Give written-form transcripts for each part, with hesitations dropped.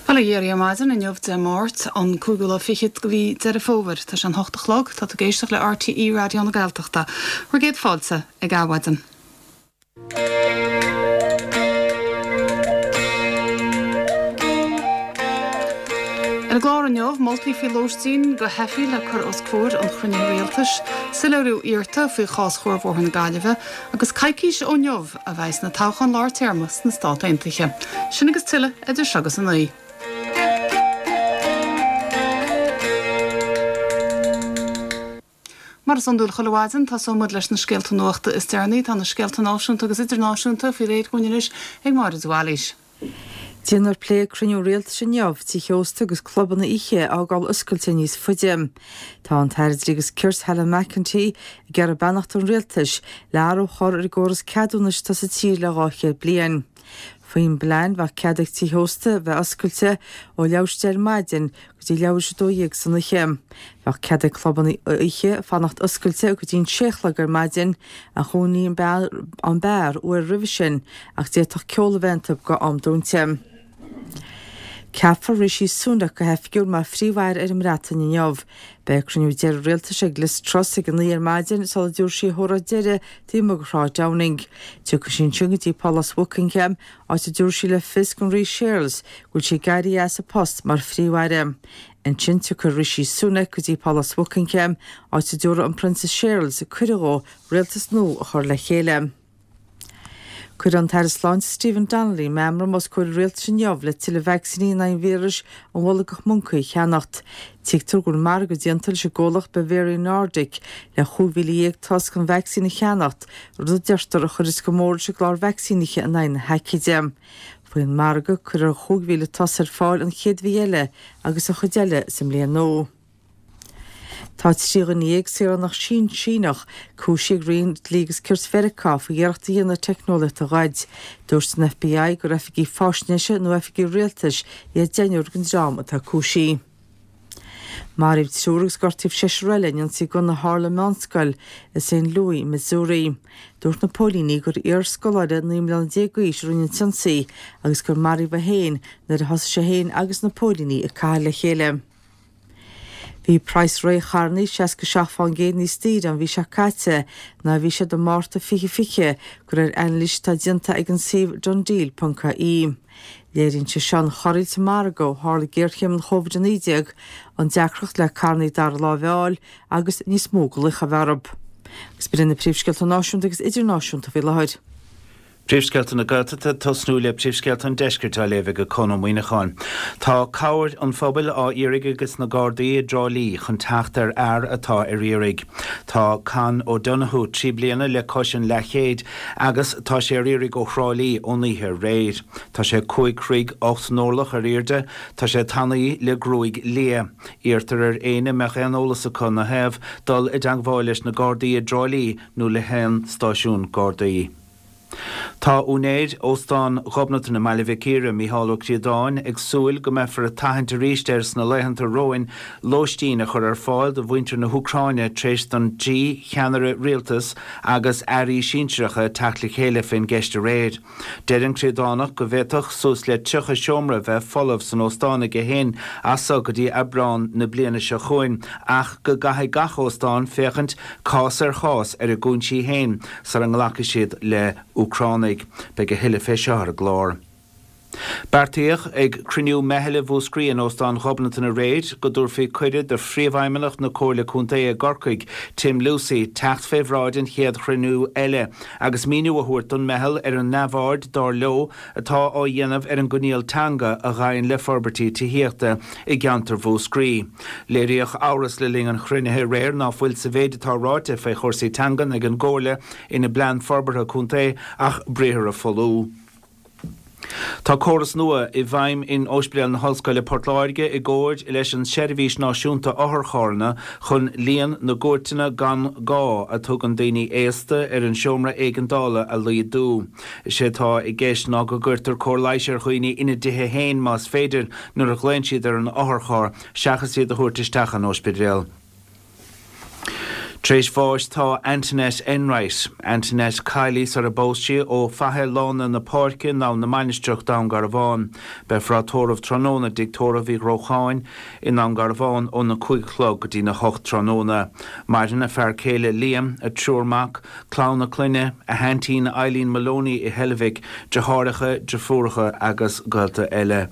Bhuel, a Dhia ar maidin inniu Dé Máirt, an cúigiú lá fichead de mhí Deireadh Fómhair. Tá sé an hocht a chlog, tá tú ag éisteacht le RTÉ Raidió na Gaeltachta. Bhur gcéad fáilte ag Adhmhaidin. Ar an gclár inniu, moltaí faoi lóistín do theifigh le cur os comhair an chruinnithe rialtais, soiléiriú iarrta faoi chás Chuarbhóthar na Gaillimhe, agus coicís ó inniu a bheidhs na toghcháin lár téarma sna Stát Aontaithe. Sin agus tuilleadh idir seo agus a naoi. Mar is iondúil chuile mhaidin, tosóidh muid leis na scéalta nuachta is deireanaí. Tá na scéalta náisiúnta agus idirnáisiúnta faoi réir dhúinn anois ag Máire de Bhailís. Déanfar plé ag cruinniú rialtais inniu, tithe ósta agus clubanna oíche a fhágáil oscailte níos faide. Tá an tAire Dlí agus Cirt Helen McEntee ag iarraidh beannacht an rialtais le athrú a chur ar an gcóras ceadúnais atá sa tír le 200 bliain. Faoin bplean bheadh cead ag tithe ósta bheith oscailte ó leathuair tar éis 10 ar maidin go dtí leathuair tar éis 12 san oíche. Bheadh cead ag clubanna oíche fanacht oscailte go dtí an sé a chlog ar maidin, ach dhúnfaí an beár uair roimhe sin ach d'fhéadfadh ceol a bheith iontu go am dúinte. Ceapfar Rishi Sunak go hoifigiúil mar Phríomh-Aire ar an mBreatain inniu. Beidh cruinniú deiridh rialtais ag Liz Truss ag a 9 ar maidin sula dtabharfaidh sí a hóráid deiridh taobh amuigh de Shráid Downing. Tiocfaidh sí ansin go dtí Pálás Bhuckingham, áit a dtabharfaidh sí le fios don Rí Séarlas go bhfuil sí ag éirí as a post mar Phríomh-Aire. Ansin tiocfaidh Rishi Sunak go dtí Pálás Bhuckingham, áit a dtabharfaidh an Prionsa Séarlas cuireadh dhó rialtas nua a chur le chéile. Cuirfidh an tAire Sláinte Stephen Donnelly meamram os comhair an rialtais inniu le tuilleadh vacsaíní in aghaidh an víris an bholgach moncaí a cheannacht. Tuigtear go bhfuil margadh déanta leis an gcomhlacht Bavarian Nordic le 15,000 tost den vacsaín a cheannacht, rud a deirtear a chuirfeas go mór leis an gclár vacsaínithe in aghaidh na haicíde. Faoin margadh, cuirfear 5,000 tost ar fáil an chéad mhí eile agus an chuid eile sa mbliain nua. Tá 13 dhuine, saoránach Síneach, cúisithe ag Roinn Dlí agus Cirt Mheiriceá faoi iarracht a dhéanamh teicneolaíocht a ghoid. Dúirt an FBI gur oifigigh faisnéise nó oifigigh rialtais iad deichniúr den dream atá cúisithe. Maraíodh triúr agus gortaíodh seisear eile in ionsaí gunna a tharla i meánscoil i St. Louis, Missouri. Dúirt na póilíní gur iarscoláire 19 mbliana d'aois a rinne an t-ionsaí agus gur maraíodh é féin nuair a thosaigh sé féin agus na póilíní ag caitheamh le chéile. Bhí praghas récharranna 67% níos daoire an mhí seo caite ná a bhí siad i Márta 2020, de réir anailís atá déanta ag an suíomh DoneDeal ponc ie. Léiríonn sé seo an chorraíl sa margadh ó tharla géarchéim an Covid-19, an deacracht le carranna dara láimhe a fháil agus níos mó glaoch a bheith orthu. Agus b'in iad na príomhscéalta náisiúnta agus idirnáisiúnta faoi láthair. Príomhscéalta na Gaeltachta, ag tosnú le príomhscéalta an Deiscirt á léamh ag Conn Ó Muíneacháin. Tá cabhair an phobail á iarraidh ages na Gardaí i dTrá Lí chun teacht ar fhear atá ar iarraidh. Tá Con O'Donoghue 3 bliana le cois an leathchéid agus tá sé ar iarraidh ó Thrá Lí ón oíche aréir. Tá sé 5 throigh 8 n-orlach ar airde, tá sé tanaí le gruaig liath. Iarrtar ar éinne a mbeadh aon eolas acu ina thaobh dul i dteangmháil leis na Gardaí i dTrá Lí nó le haon stáisiún Gardaí. Tá úinéir Óstán Ghobnatan i mBaile Mhic Íre, Mícheál Ó Críodáin, ag súil go mbeifear ag tathant arís air sna laethanta romhainn lóistín a chur ar fáil do mhuintir na hÚcráine tar éis don dtrí cheannaire rialtais agus airí sinsearacha teacht le chéile fén gceist aréir. Deir an Críodánach go bhféadfadh suas le 30 seomra bheith folamh san óstán aige féin as so go dtí Aibreán na bliana seo chugainn ach go gcaithfidh gach óstán féachaint cás ar chás ar a gcúinsí féin sara nglacfaidh siad le Úcránaigh. Beidh a thuilleadh fé seo ar an gclár. Beartaíodh ag cruinniú meithle Mhúscraí in Óstán Ghobnatan aréir go dtabharfaí cuireadh do Phríomhfheidhmeannach na Comhairle Contae i gCorcaigh, Tim Lucey, teacht fé bhráid an chéad chruinniú eile agus míniú a thabhairt don meitheal ar an neamhaird, dar leo, atá á dhéanamh ar an gcoinníoll teanga a ghabhann le forbairtí tithíochta i gceantar Mhúscraí. Léiríodh amhras le linn an chruinnithe aréir ná fuil sa mhéid atá ráite fé chúrsaí teangan ag an gComhairle ina bPlean Forbartha Contae ach briathra folmha. Tá córas nua i bhfeidhm in Ospidéal na hOllscoile Port Láirge i gcomhair leis an tSeirbhís Náisiúnta Otharcharranna chun líon na gcuairteanna gan gá a tugann daoine aosta ar an seomra éigeandála a laghdú. Is é atá i gceist ná go gcuirtear cóir leighis ar dhaoine ina dtithe féin más féidir nuair a ghlaonn siad ar an otharcharr seachas iad a thabhairt isteach an ospidéal. Tar éis bháis tá Antoinette Enright, Antoinette Kiely sar a bpós sí, ó Faiche Lána na Páirce, Naomh na Mainistreach, Dún Garbhán. Beifear á tórramh tráthnóna i dTigh Tórraimh Uí Ghrócháin i nDún Garbhán óna 5 a chlog go dtína 8 tráthnóna. Maireann a fear céile Liam, a triúr mac, clann a clainne, a haintín Eileen Moloney i Heilbhic, deartháireacha, deirfiúracha agus gaolta eile.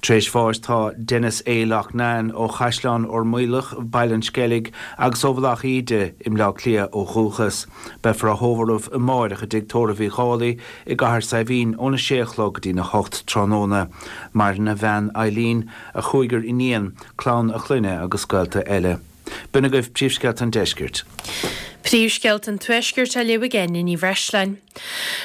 Tar éis bháis tá Denis A. Loughnane ó Chaisleán Fhormaolach, Baile an Sceilg agus ó Mhullach Íde i mBleá Cliath ó dhúchas. Beifear á thórramh amáireach i dTigh Tórraimh Uí Dhálaigh i gCathair Saidhbhín óna sé a chlog go dtína hocht tráthnóna. Maireann a bhean Eileen, a chúigear iníon, clann a clainne agus gaolta eile. B'in agaibh príomhscéalta an deiscirt. Príomhscéalta an Tuaiscirt á léamh ag Áine Ní Bhreisleáin.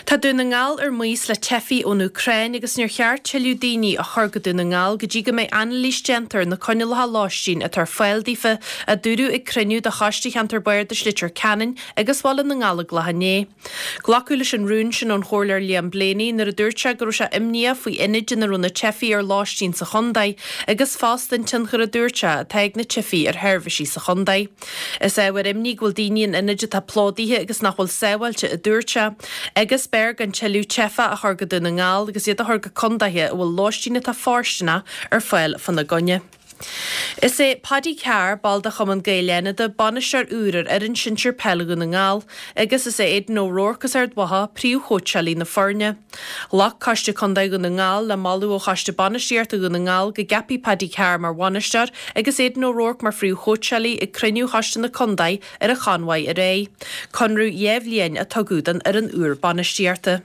Tá Dún na nGall ar maos le teifigh ón Úcráin agus níor cheart tuilleadh daoine a chur go Dún na nGall go dtí go mbeidh anailís déanta ar na coinníollacha lóistín atá ar fáil daofa, a dúradh ag cruinniú de Choiste Cheantar Bardais Leitir Ceanainn agus Bhaile na nGallóglach inné. Glacadh leis an rún sin ón Chomhairleoir Liam Blaney nuair a dúirt sé go raibh sé imníoch faoi ionaid ina raibh na teifigh ar lóistín sa chontae agus fosta an tionchar a dúirt sé atá ag na teifigh ar sheirbhísí sa chontae. Is ábhar imní go bhfuil daoine in ionaid atá plódaithe agus nach bhfuil sábháilte a dúirt sé agus b'fhearr gan tuilleadh teifeach a chur go Dún na nGall agus iad a chur go contaetha a bhfuil lóistín atá fóirsteanach ar fáil fána gcoinne. Is é Paddy Carr, ball de Chumann Gael Fhánada, bainisteoir úr ar fhoireann sinsir peile Dhún na nGall agus is é Aidan O'Rourke as Ard Mhacha príomhchóitseálaí na foirne. Ghlac Coiste Contae Dhún na nGall le moladh ó Choiste Bainistíochta Dhún na nGall go gceapfaí Paddy Carr mar bhainisteoir agus Aidan O'Rourke mar phríomhchóitseálaí ag cruinniú Choiste na Contae ar an Chonmhaigh aréir. Conradh 2 bhliain a tugadh don fhoireann úr bainistíochta.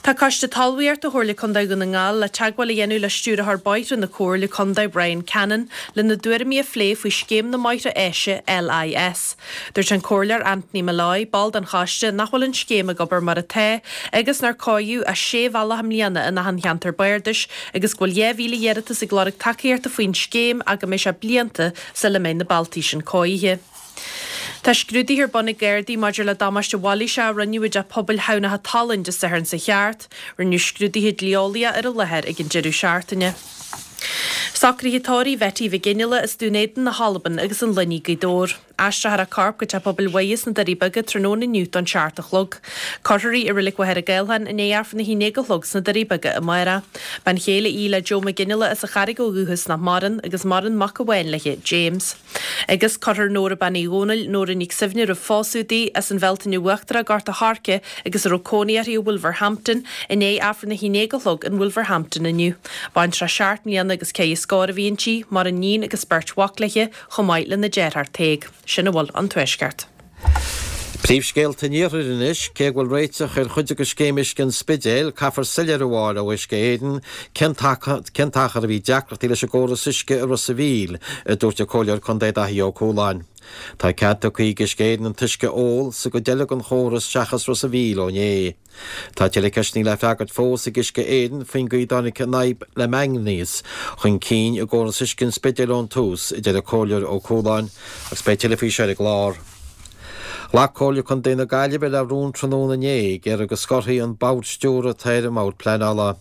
Tá Coiste Talmhaíochta Chomhairle Contae Dhún na nGall le teagmháil a dhéanamh le Stiúrthóir Bóithre na Comhairle Contae Brian Cannon lena dtuairimí a phlé faoi Scéim na mBóithre Áise, LIS. Dúirt an Comhairleoir Anthony Molloy, ball den choiste, nach bhfuil an scéim ag obair mar atá agus nár cóiríodh ach sé bhealach i mbliana in achan cheantar bardais agus go bhfuil 2,000 iarratas ag lorg tacaíochta faoin scéim ach go mbeidh sé blianta sula mbeidh na bealtaí sin cóirithe. Tá scrúduithe ar bun ag Gardaí maidir le damáiste mhailíseach a rinneadh i dteach pobail Thamhnach an tSalainn Dé Sathairn seo thart. Rinneadh scrúduithe dlí-eolaíocha ar an láthair ag an deireadh seachtaine. Socruithe tórraimh Bhetty Mhic Fhionnghaile as Dún Éideann na hAlban agus an Luinnigh Gaoth Dobhair. Aistreofar a corp go Teach Pobail Mhuire sna Doirí Beaga tráthnóna inniu don seacht a chlog. Cuirfear í i Reilig Mhachaire Gathlán i ndiaidh Aifreann a haon déag a chlog sna Doirí Beaga amárach. Bean chéile í le Joe Mac Fhionnghaile as an Charraig ó dhúchas nach maireann agus maireann mac amháin léi, James. Agus cuirfear Nóra Bean Uí Dhónaill, Nóra Nic Suibhne roimh phósadh di, as an Bhealtaine Uachtarach, Gort a' Choirce agus a raibh cónaí uirthi i Wolverhampton, i ndiaidh Aifreann a haon déag a chlog in Wolverhampton inniu. Baintreach seacht mbliana agus ceithre scór a bhí inti, maireann níon agus beirt mhac léi, chomh maith lena deartháir Tadhg. Sin a bhfuil ón Tuaisceart. Príomhscéalta an Iarthair anois, cé go bhfuil réiteach ar chuid de scéim uisce an Spidéil, caithfear soiléiriú a fháil ó Uisce Éireann cén t-achar a bhí deacrachtaí leis an gcóras uisce i Ros a' Mhíl, a dúirt an Comhairleoir Contae Daithí Ó Cualáin. Tá cead tugtha ag Uisce Éireann an t-uisce a ól sa gcuid eile den chóras seachas Ros a' Mhíl ó inné. Tá tuilleadh ceisteanna le freagairt fós ag Uisce Éireann faoin gcaoi a dtáinig an fhadhb le mangainéas chun cinn i gcóras uisce an Spidéil ón tús, a deir an Comhairleoir Ó Cualáin, agus beidh tuilleadh faoi seo ar an gclár. Ghlac Comhairle Contae na Gaillimhe le rún tráthnóna inné ag iarraidh go scorfaí an Bord Stiúrtha atá ar an mBord Pleanála.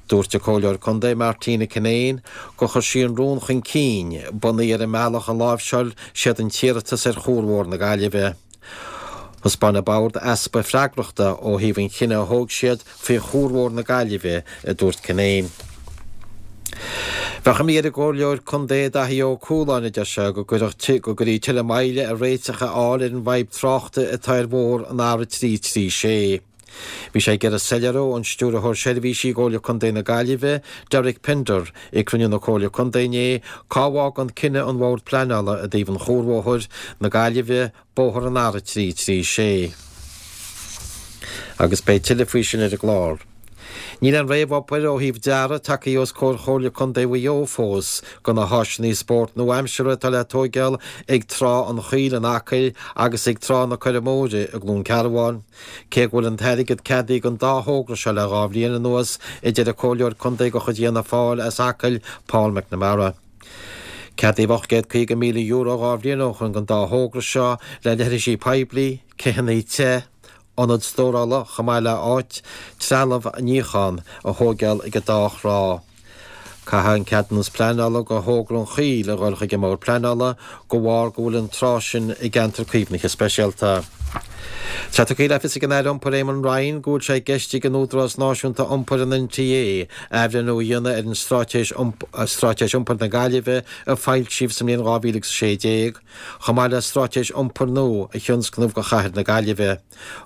Dúirt an Comhairleoir Contae Martina Kinane gur chuir sí an rún chun cinn, bunaithe ar an mbealach a láimhseáil siad an t-iarratas ar Chuarbhóthar na Gaillimhe. Thaispeáin an Bord easpa freagrachta ó thaobh an chinnidh a thóg siad faoi Chuarbhóthar na Gaillimhe, a dúirt Kinane. Bheadh imní ar an gComhairleoir Contae Daithí Ó Cualáin, a deir sé, go gcuirfeadh go gcuirfí tuilleadh moille ar réiteach a fháil ar an bhfadhb tráchta atá ar bhóthar an R336. Bhí sé ag iarraidh soiléiriú ón Stiúrthóir Seirbhísí i gComhairle Contae na Gaillimhe, Derek Pender, ag cruinniú na Comhairle Contae inné, cá bhfágann cinneadh an Bhoird Pleanála i dtaobh an Chuarbhóthair na Gaillimhe, Bóthar an R336. Agus beidh tuilleadh faoi sin ar an gclár. Níl aon réamhobair ó thaobh dearaidh tagtha os comhair Chomhairle Contae Mhaigh Eo fós do na háiseanna spóirt nua-aimseartha atá le tóigeáil ag Trá an Choill in Acaill agus ag Trá na Coirre Móire i gCluain Cearbháin. Cé go bhfuil an t-airgead ceadaithe don dá thogra seo le 2 bhliain anuas, a deir an Comhairleoir Contae de chuid Fhianna Fáil as Acaill, Paul McNamara. Ceadaíodh €850,000 2 bhliain ó shoin don dá thogra seo le leithrisí poiblí, céanna te, ionad stórála chomh maith le áit trealamh níocháin a thóigeáil ag an dá thrá. Caithfidh an ceadúnas pleanála go thogra an Choill a dhul chuig an mBord Pleanála de bharr go bhfuil an trá sin i gceantar caomhnaithe speisialta. Tá tugtha le fios ag an Aire Iompair Eamon Ryan go bhfuil sé i gceist ag an Údarás Náisiúnta Iompair an NTA athbhreithniú a dhéanamh ar an Straitéis Straitéis Iompair na Gaillimhe a foilsíodh sa mbliain 2016, chomh maith le Straitéis Iompair nua a thionscnamh do chathair na Gaillimhe.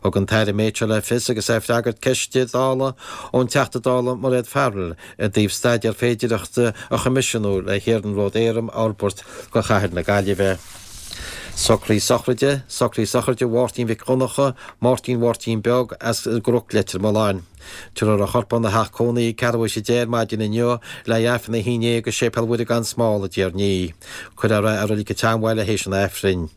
Thug an tAire an méid seo le fios agus é ag freagairt ceiste Dála ón Teachta Dála Mairéad Farrell i dtaobh staidéar féidireachta a choimisiúnú le hiarnród éadrom a fhorbairt do chathair na Gaillimhe. Socruithe sochraide, Socruithe sochraide Mháirtín Mhic Dhonncha, Máirtín Mháirtín Beag, as an gCnoc Leitir Mealláin. Tabharfar a chorp óna theach cónaí ag ceathrú théis 10 ar maidin inniu le haghaidh Aifreann a 11 i Séipéal Mhuire gan Smál i dTír an Fhia. Cuirfear é i Reilig an tSeanbhaile théis an Aifrinn.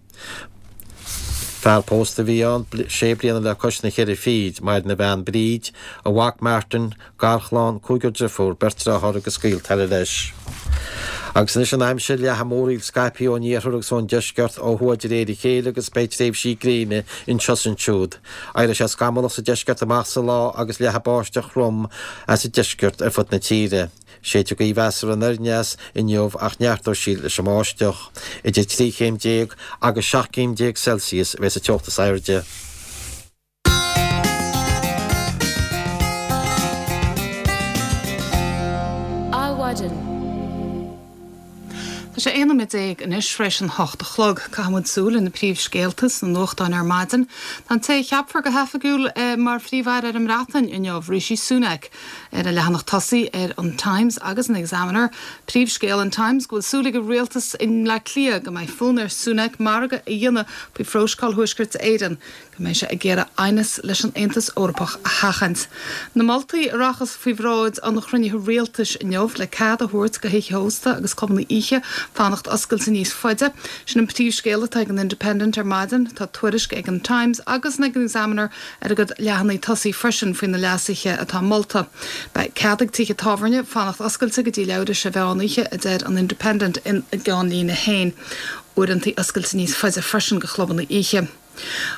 Fear pósta a bhí ann, sé bliana le cois na cheithre fichid, maireann a bhean Bríd, a mhac Martin, garchlann, cúigear driofúr, beirt dearthár agus gaolta eile leis. Agus anois an aimsir, leathfaidh múraíl scaipthe ón iarthar agus ón deisceart ó thuaidh de réir a chéile agus beidh tréimhsí gréine anseo is ansiúd. Éireoidh sé scamallach sa deisceart amach sa lá agus leathfaidh báisteach throm as an deisceart ar fud na tíre. Séidfidh gaoth mheasartha anoir aneas inniu ach neartóidh sí leis an mbáisteach. Idir 13 chéim agus 17 céim Celsius a bheidh sa teocht is airde. Adhmhaidin. Tá sé 11 nóiméad anois tar éis an hocht a chlog. Caithfidh muid súil ar na príomhscéalta sna nuachtáin ar maidin. Tá an té a cheapfar go hoifigiúil mar Phríomh-Aire ar an mBreatain inniu, Rishi Sunak, ar an leathanach tosaigh ar an Times agus an Examiner. Príomhscéal an Times go bhfuil súil ag an rialtas i mBleá Cliath go mbeidh fonn ar Sunak margadh a dhéanamh faoi phróiseáil Thuaisceart Éireann. go mbeidh sé ag iarraidh aighneas leis an Aontas Eorpach a sheachaint. Na moltaí a rachas faoi bhráid an chruinnithe rialtais inniu le cead a thabhairt do thithe ósta agus clubanna oíche fanacht oscailte níos faide, sin an príomhscéal atá ag an Independent ar maidin. Tá tuairisc ag an Times agus ag an Examiner ar a gcuid leathanaigh tosaigh freisin faoi na leasuithe atá molta. Beidh cead ag tithe tábhairne fanacht oscailte go dtí leathuair théis a mheán oíche, a deir an Independent ina gceannlíne féin. Uaireanta oscailte níos faide freisin do chlubanna oíche.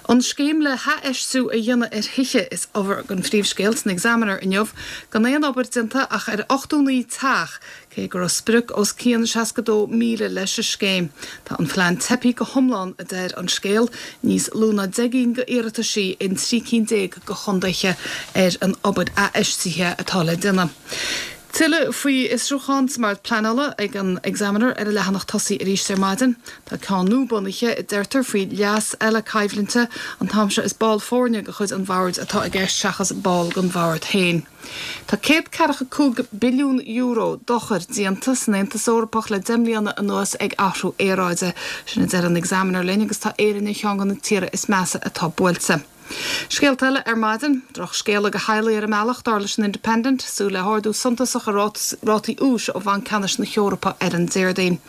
An scéim le hathfheistiú a dhéanamh ar thithe is ábhar don phríomhscéal san Examiner inniu, gan aon obair déanta ach ar 89 teach, cé go raibh sprioc os cionn 62,000 leis an scéim. Tá an phlean teipthe go hiomlán, a deir an scéal, níos lú ná 10 gcinn d'iarrataisí in 13 cinn de chontaetha ar an obair athfheistithe atá le déanamh. Tuilleadh faoi fhiosrúchán sa mBord Pleanála ag an Examiner ar a leathanach tosaigh arís ar maidin. Tá ceann nua bunaithe, a deirtear, faoi leas eile coimhlinte. An t-am seo is ball foirne de chuid an bhoird atá i gceist seachas ball den bhord féin. Tá €145 billiún dochair déanta san Aontas Eorpach le 10 mbliana anuas ag athrú aeráide. Sin a deir an Examiner linn agus tá Éirinn ar cheann de na tíortha is measa atá buailte. Scéalta eile ar maidin. Drochscéala do theaghlaigh ar an mbealach, dar leis an Independent, súil le hardú suntasach i rátaí úis ó Bhanc Ceannais na hEorpa ar an Déardaoin.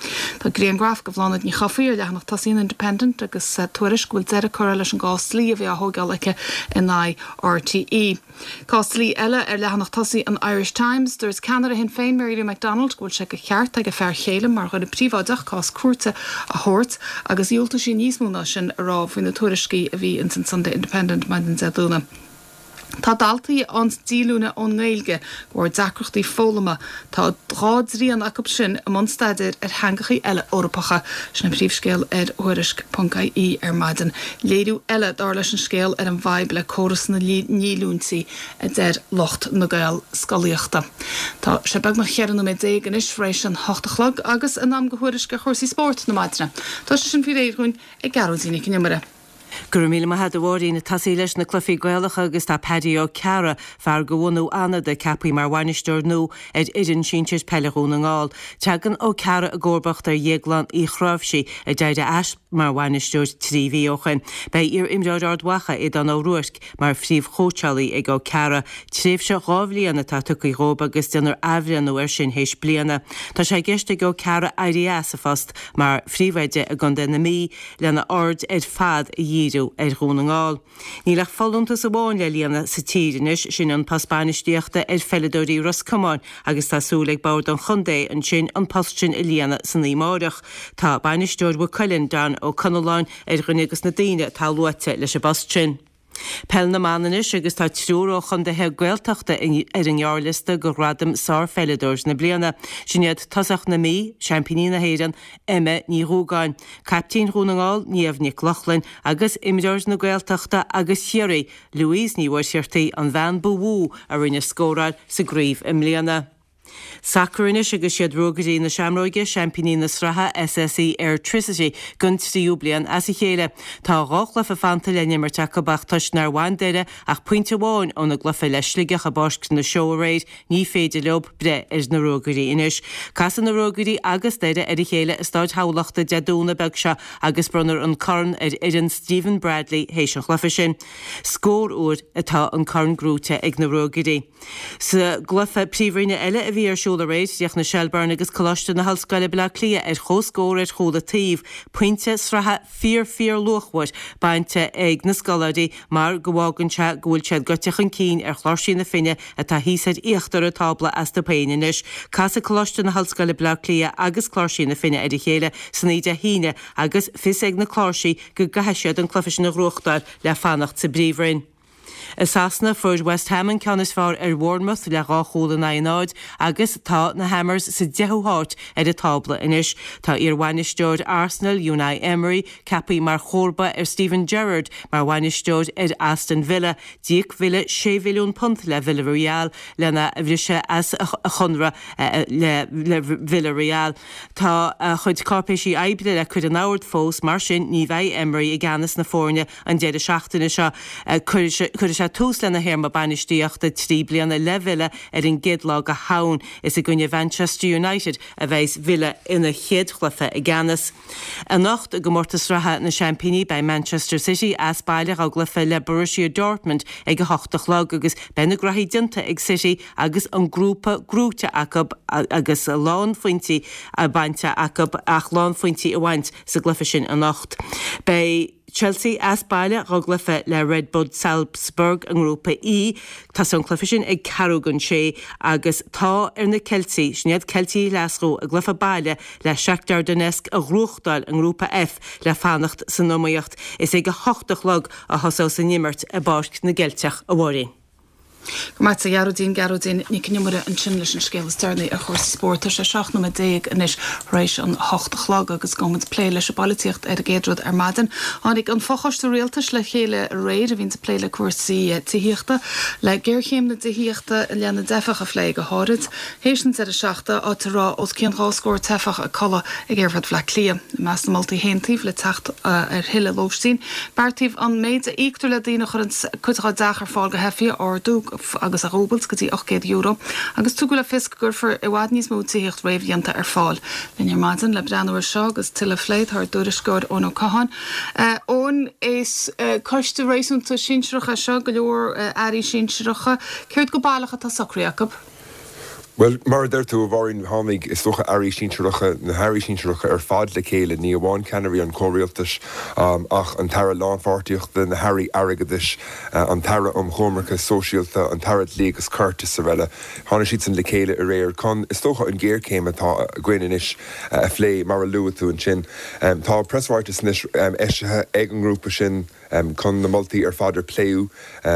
Tá grianghraf de Bhláthnaid Ní Chofaigh ar leathanach tosaigh an Independent agus tuairisc go bhfuil deireadh curtha leis an gcás dlí a bhí á thóigeáil aici in aghaidh RTÉ. Cás dlí eile ar leathanach tosaigh an Irish Times. Dúirt ceannaire Shinn Féin, Mary Lou McDonald, go bhfuil sé de cheart ag a fear chéile mar dhuine príobháideach cás cúirte a thabhairt agus dhiúltaigh sí níos mó ná sin a rá faoi na tuairiscí a bhí ins an Sunday Independent maidin Dé Domhnaigh. Tá daltaí á ndíolúine ón nGaeilge de bharr deacrachtaí foghlama. Tá dhá dtrian acu sin i mbun staidéir ar theangachaí eile Eorpacha. Sin an príomhscéal ar Thuairisc ponc ie ar maidin. Léiriú eile, dar leis an scéal, ar an bhfadhb le córas na ndíolúintí, a deir lucht na Gaelscolaíochta. Tá sé beagnach 14 nóiméad anois tar éis an hocht a chlog agus in am do thuairisc ar chúrsaí spóirt na maidine. Tá sé sin faoi réir dhúinn ag Gearóidín Nic an Iomaire. Go raibh míle maith agat a Mháirín. Ag tosaí leis na cluichí Gaelacha agus tá Paddy Ó Cearra, fear de bhunadh Fhánada, ceaptha mar bhainisteoir nua ar fhoireann sinsir peile Dhún na nGall. Tagann Ó Cearra i gcomharbacht ar Dhéaglán Uí Chráimhsí, a d'éirigh as mar bhainisteoir 3 mhí ó shin. Beidh iar-imreoir Ard Mhacha, Aodán Ó Ruairc, mar phríomhchóitseálaí ag Ó Cearra. Tréimhse dhá bhliain atá tugtha dhóibh agus déanfar athbhreithniú air sin théis bliana. Tá sé i gceist ag Ó Cearra éirí as a phost mar phríomhoide i gContae na Mí lena aird ar fad a dhíriú ar Dhún na nGall. Níl ach folúntas amháin le líonadh sa tír anois, sin an post bainistíochta ar pheileadóirí Ros Comáin agus tá súil ag bord an chontae ansin an post sin a líonadh san oíche amárach. Tá bainisteoir Mhaigh Cuilinn, Don Ó Conalláin, ar dhuine de na daoine atá luaite leis an bpost sin. Peil na mBan anois agus tá triúr ó chontaetha Gaeltachta ar an ngearrliosta do ghradam Sárpheileadóir na Bliana. Sin iad tosach na Mí, seaimpíní na hÉireann, Emma Ní Dhúgáin, caiptín Dhún na nGall, Niamh Nic Lochlainn, agus imreoir na Gaeltachta agus Chiarraí, Louise Ní Mhuircheartaigh, an bhean ba mhó a rinne scóráil sa gcraobh i mbliana. Sacar anois agus siad Ruagairí na Seamróige, seaimpíní na sraithe SSE Airtricity don tríú bliain as a chéile. Tá 2 chluiche fanta le n-imirt acu ach toisc nár bhain Doire ach pointe amháin óna gcluiche le Sligeach i bPáirc na Seó aréir, ní féidir leo breith ar na Ruagairí anois. Casfaidh na Ruagairí agus Doire ar a chéile i Stáid Thamhlachta Dé Domhnaigh beag seo agus bronnfar an corn ar fhoireann Stephen Bradley théis an chluiche sin. Scór uair atá an corn gnóite ag na Ruagairí. Sa gcluiche Príomhroinne eile a bhí ar siúl aréir, chríochnaigh Shelbourne agus Coláiste na hOllscoile Baile Átha Cliath ar chomhscór ar chúl an taobh, pointe sraithe fíor fíor luachmhar bainte ag na scoláirí mar go bhfágann sé go bhfuil siad gaibhte chun cinn ar Chláirsí na Finne atá thíos ar íochtar an tábla astu féin anois. Casfaidh Coláiste na hOllscoile Baile Átha Cliath agus Cláirsí na Finne ar a chéile san oíche Dé hAoine agus fios ag na Cláirsí go gcaithfidh siad an cluiche sin a ghnóthachtáil le fanacht sa bPríomhroinn. I Sasana, fuair West Ham an ceann is fearr ar Bhournemouth le 2 chúl in aghaidh 0 agus tá na Hammers sa deichiú háit ar an tábla anois. Tá iar-bhainisteoir Arsenal, Unai Emery, ceaptha mar chomharba ar Steven Gerrard mar bhainisteoir ar Aston Villa. D'íoc Villa £6 mhilliún le Villarreal lena bhriseadh as a chonradh le Villarreal. Tá a chuid cáipéisí oibre le cur in ord fós, mar sin ní bheidh Emery i gceannas na foirne An deireadh seachtaine seo, cuirfidh sé tús lena théarma bainistíochta 3 bliana le Villa ar an gcéad lá de Shamhain. Is i gcoinne Mhanchester United a bheidhs Villa ina chéad chluiche i gceannas. Anocht, i gcomórtas sraithe na Seaimpíní, beidh Manchester City as baile dá gcluiche le Borussia Dortmund ag a hocht a chlog agus beidh na graithí déanta ag City agus an grúpa gnóite acu agus a lán phointí bainte acu ach lán phointí a bhaint sa gcluiche sin anocht. Beidh. Chelsea as baile dá gcluiche le Red Bull Salzburg i nGrúpa E. Tosóidh an cluiche sin ag ceathrú don sé agus tá ar na Ceiltigh, sin iad Ceiltigh Ghlaschú, a gcluiche baile le Shakhtar Donetsk a ghnóthachtáil i nGrúpa F le fanacht san iomaíocht. Is ag 8 a chlog a thosós an imirt i bPáirc na gCeilteach, a Mháirín. Go raibh maith agat a Ghearóidín, Gearóidín Nic an Iomaire ansin leis an scéal is deireanaí ar chúrsaí spóirt. Tá sé 17 nóiméad anois tar éis an 8 a chlog agus gabhfaidh muid plé leis an bpolaitíocht ar an gcéad rud ar maidin. Tháinig an fochoiste rialtais le chéile aréir a bhíonns ag plé le cúrsaí tithíochta, le géarchéim na dtithíochta i leith na dteifeach a phlé go háirid. Théis an deireadh seachtaine, áit a raibh os cionn 2 scór teifeach ag codladh ag Aerfort Bhaile Átha Cliath. I measc na moltaí a haontaíodh le teacht ar thuilleadh lóistín, beartaíodh an méid a íoctar le daoine a chuireann cuid dá dteach ar fáil do theifigh a ardú agus a dhúbailt go dtí €800 agus tugadh le fios go gcuirfear i bhfad níos mó tithíocht réamhdhéanta ar fáil. Linn ar maidin le breathnú air seo agus tuilleadh a phlé tá ár dtuairisceoir Eoin Ó Catháin. Eoin, is coiste réasúnta sinsearach é seo, go leor airí sinsearacha. Céard go baileach atá socraithe acu? Bhuel, mar a deir tú, a Mháirín, tháinig, is dócha, airí sinsearacha, na hairí sinsearacha ar fad le chéile, ní amháin ceannairí an chomhrialtais ach an tAire Lánpháirtíochta, na hairí airgeadais, an tAire um Choimirce Sóisialta, an tAire Dlí agus Cirt is araile. Tháinig siadsan le chéile aréir chun, is dócha, an ghéarchéim atá againn anois a phlé, mar a luaigh tú ansin. Tá preasráiteas anois eisithe ag an ngrúpa sin. chun na moltaí ar fad ar pléadh a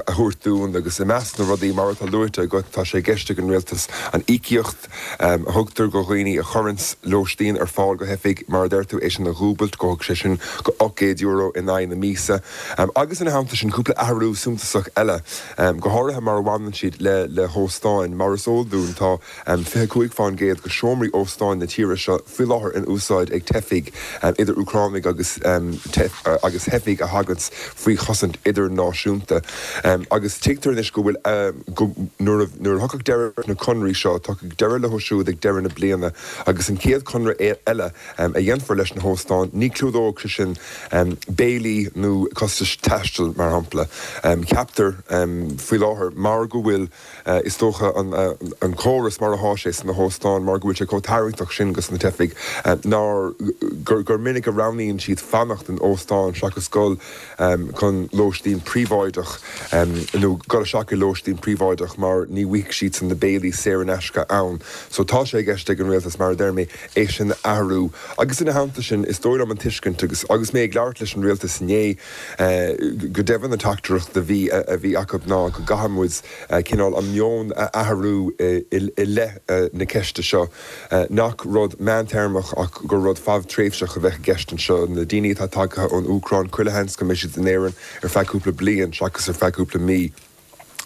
thabhairt dúinn agus i measc na rudaí, mar atá luaite agat, tá sé i gceist ag an Rialtas an íocaíocht a thugtar go dhaoine a chuireanns lóistín ar fáil go theifigh, mar a deir tú, é sin a dhúbailt, go sé sin go €800 in aghaidh na míosa. Agus ina theannta sin, cúpla athrú suntasach eile, go háirithe mar a bhaineann siad le hóstáin. Mar is eol dúinn, tá. 25% de sheomraí óstáin na tíre seo faoi láthair in úsáid ag teifigh, idir Úcránaigh agus agus theifigh a thaganns faoi chosaint idirnáisiúnta. Agus tuigtear anois go bhfuil, go, nuair a, nuair a thiocfadh deireadh leis na conraí seo, tiocfaidh deireadh leo siúd ag deireadh na bliana agus an chéad chonradh eile a dhéanfar leis na hóstáin, ní chlúdóidh sé sin béilí nó costais taistil, mar shampla. Ceaptar faoi láthair, mar go bhfuil. Is dócha an córas mar athá sé sna hóstáin, mar go bhfuil sé chomh tarraingteach sin dos na teifigh, nár, gur minic a roghnaíonn siad fanacht in óstán seachas dul. dul chun lóistín príobháideach nó dul isteach i lóistín príobháideach mar ní bhfaighidh siadsan na béilí saor in aisce ann. So tá sé i gceist ag an Rialtas, mar a deir mé, é sin a athrú. Agus ina theannta sin, is dóigh liom an tuiscint agus agus mé ag labhairt leis an Rialtas inné, go deimhin an teachtaireacht a bhí a bhí acu ná go gcaithfidh muid cineál an meon a athrú i leith na ceiste seo, nach rud meántéarmach ach gur rud fadtréimhseach a bheadh i gceist anseo. Na daoine atá tagtha ón Úcráin, chuile sheans go mbeidh siad in Éirinn ar feadh cúpla bliain seachas ar feadh cúpla mí.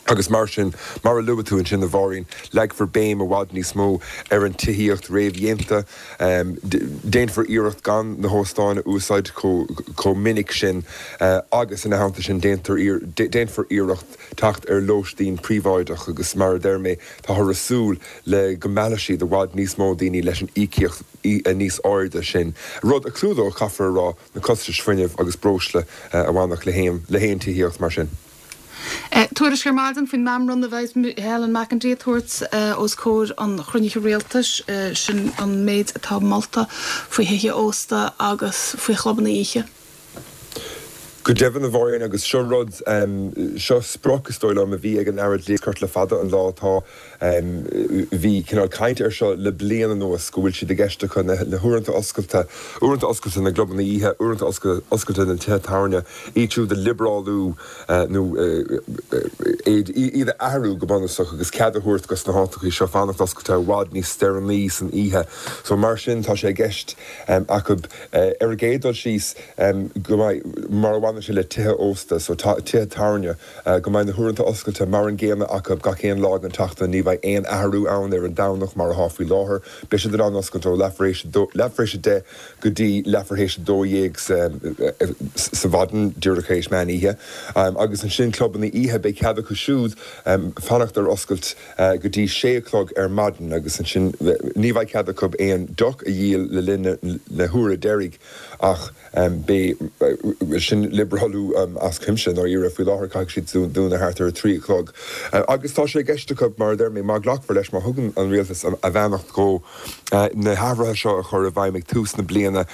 Agus mar sin, mar a luaigh tú ansin, a Mháirín, leagfar béim i bhfad níos mó ar an tithíocht réamhdhéanta. Déanfar iarracht gan na hóstáin a úsáid chomh minic sin agus ina theannta sin déanfar iarracht teacht ar lóistín príobháideach agus mar a deir mé, táthar ag súil le go meallfaidh siad i bhfad níos mó daoine leis an íocaíocht níos airde sin, rud a chlúdódh, caithfear a rá, na costais fuinnimh agus breosla a bhainfeadh le haon tithíocht mar sin. Tuairisc ar maidin faoin meamram a bheidh Helen McEntee ag tabhairt os comhair an chruinnithe rialtais, sin an méid atá molta faoi thithe ósta agus faoi chlubanna oíche. Go deimhin, a Mháirín, agus seo rud, seo sprioc, is dóigh liom, a bhí ag an Aire Dlí agus Cirt le fada an lá. Tá, bhí cineál caint air seo le bliain anuas, go bhfuil siad i gceist acu na huaireanta oscailte, uaireanta oscailte na gclubanna oíche, uaireanta oscailte na dtithe tábhairne, iad siúd a liobrálú nó iad a athrú go bunúsach agus cead a thabhairt dos na háiteachaí seo fanacht oscailte i bhfad níos deireanaí san oíche. So mar sin tá sé i gceist acu ar an gcéad dul síos go mbeidh, mar a bhaineann sé le tithe ósta, so tithe tábhairne, go mbeidh na huaireanta oscailte mar an gcéanna acu gach aon lá den tseachtain, ní bheidh aon athrú ann ar an Domhnach mar atá faoi láthair. Beidh siad in ann oscailt ó leathuair théis a deich go dtí leathuair théis a 12 sa mhaidin, díreach tar éis meán oíche. Agus ansin clubanna oíche, beidh cead acu siúd fanacht ar oscailt go dtí sé a chlog ar maidin agus ansin ní bheidh cead acu aon deoch a dhíol le linn na huaire deiridh ach beidh, sin liobrálú as cuimse i ndáiríre. Faoi láthair caithfidh siad dúnadh thart ar a 3 a chlog. Agus tá sé i gceist acu, mar a deir mé, má ghlacfar leis, má thugann an rialtas a bheannacht dhó, na hathruithe seo a chur i bhfeidhm ag tús na bliana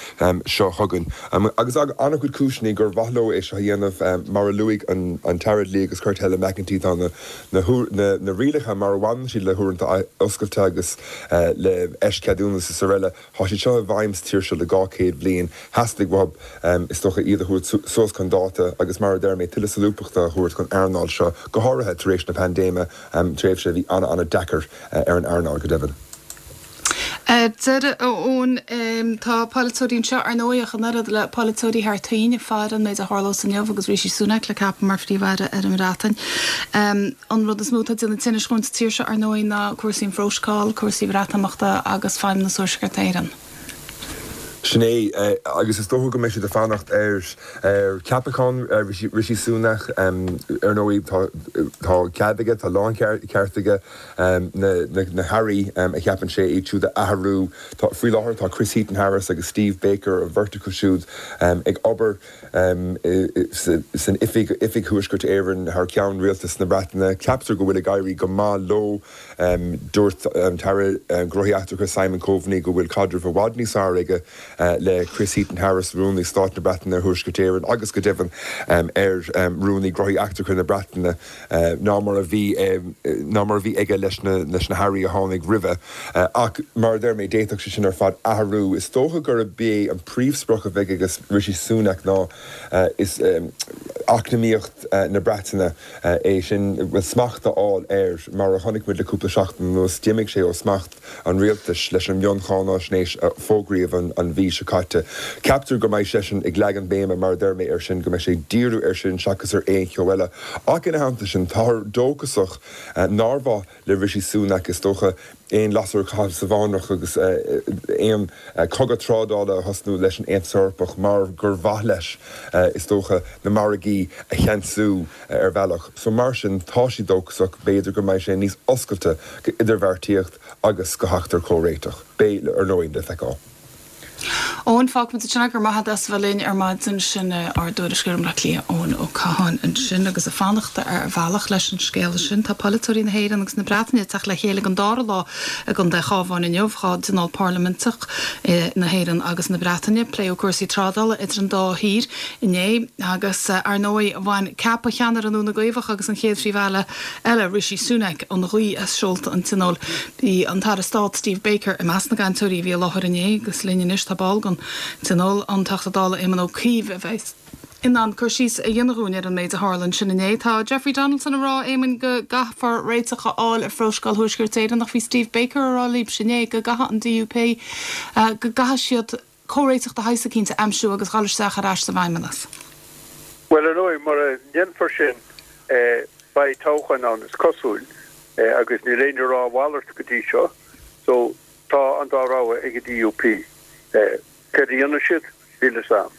seo chugainn. Agus an-chuid cúiseanna gur mhaith leo é seo a dhéanamh, mar a luaigh an tAire Dlí agus Cirt Helen McEntee, tá na rialacha mar a bhaineann siad le huaireanta oscailte agus le eischeadúnas is araile, tá siad seo i bhfeidhm sa tír seo le 200 bliain. Theastaigh uathu, is dócha, iad a thabhairt suas chun dáta agus, mar a deir mé, tuilleadh solúbthachta a thabhairt don earnáil seo, go háirithe tar éis na paindéime, tréimhse a bhí an-an-deacair ar an earnáil, go deimhin. Ar deireadh, a Eoin, tá polaiteoirí anseo, ar ndóigh, ach an oiread le polaiteoirí thar toinn ag faire an méid a tharlós inniu agus Rishi Sunak le ceapadh mar Phríomh-Aire ar an mBreatain. An rud is mó atá ag déanamh tinnis dhúinn sa tír seo, ar ndóigh, ná cúrsaí an Phrótacail, cúrsaí Bhreatimeachta agus Feidhmeannas Thuaisceart Éireann. Sin é, agus is dócha go mbeidh siad ag fanacht ar cheapachán Rishi Sunak. Ar ndóigh, tá cead aige, tá láncheart aige na hairí a cheapann sé, iad siúd a athrú. Faoi láthair tá Chris Heaton-Harris agus Steve Baker, an bheirt acu siúd, ag obair san oifig, Oifig Thuaisceart Éireann, thar ceann Rialtas na Breataine. Ceaptar go bhfuil ag éirí go maith leo. Dúirt an tAire Gnóthaí Eachtracha Simon Coveney go bhfuil caidreamh i bhfad níos fearr aige le Chris Heaton-Harris, Rúnaí Stáit na Breataine ar Thuaisceart Éireann agus go deimhin ar Rúnaí Gnóthaí Eachtracha na Breataine ná mar a bhí ná mar a bhí aige leis na leis na hairí a tháinig roimhe. Ach mar a deir mé, d'fhéadfadh sé sin ar fad athrú. Is dócha gurb é an príomhsprioc a bheidh ag Rishi Sunak ná is eacnamaíocht na Breataine. É sin, bhuel, smacht a fháil air. Mar a chonaic muid le cúpla seachtain anuas, d'imigh sé ó smacht an rialtais leis an mioncháináisnéis a fógraíodh an mhí seo caite. Ceaptar go mbeidh seisean ag leagan béime, mar a deir mé, air sin, go mbeidh sé ag díriú air sin seachas ar aon cheo eile. Ach ina theannta sin, táthar dóchasach nár mhaith le Rishi Sunak, is dócha, aon lasair a chaitheamh sa bhfánrach agus aon chogadh trádála a thosnú leis an Aontas Eorpach mar gur mhaith leis, is dócha, na margaí a cheansú ar bhealach. So mar sin, tá siad dóchasach, b'fhéidir go mbeidh sé níos oscailte go idirbheartaíocht agus go theacht ar chomhréiteach. Beidh, ar ndóigh, le feiceáil. Eoin, fágfaimid ansin é, go raibh maith agat as a bheith linn ar maidin. Sin ár dtuairisceoir i mBleá Cliath, Eoin Ó Catháin ansin agus ag fanacht ar bhealach leis an scéal sin. Tá polaiteoirí na hÉireann agus na Breataine ag teacht le chéile don dara lá i gContae an Chabháin inniu, dá dtionól parlaiminteach na hÉireann agus na Breataine. Pléadh cúrsaí trádála idir an dá thír inné agus, ar ndóigh, bhain ceapadh cheannaire nua na gCaomhach agus an chéad Phríomh-Aire eile, Rishi Sunak, an ghaoth as seolta an Tionóil. Bhí an tAire Stáit Steve Baker i measc na gcainteoirí a bhí i láthair inné agus linn anois tá ball den Tionól, an Teachta Dála Éamon Ó Cuív, a bheas in ann cur síos a dhéanamh dhúinn ar an méid a tharla ansin inné. Tá Jeffrey Donaldson ag rá, Éamoin, go gcaithfear réiteach a fháil ar Phrótacal Thuaisceart Éireann ach bhí Steve Baker ag rá libhse inné go gcaithfidh an DUP, go gcaithfidh siad comhréiteach de shaghas eicínt a aimsiú agus dhul isteach ar ais sa bhFeidhmeannas. Bhuel, ar ndóigh, mura ndéanfar sin, beidh toghchán ann, is cosúil, agus níl éinne ag rá a mhalairt go dtí seo. So, tá an dá rogha ag an DUP. Céard a dhéanfaidh siad? Níl fhios a'm.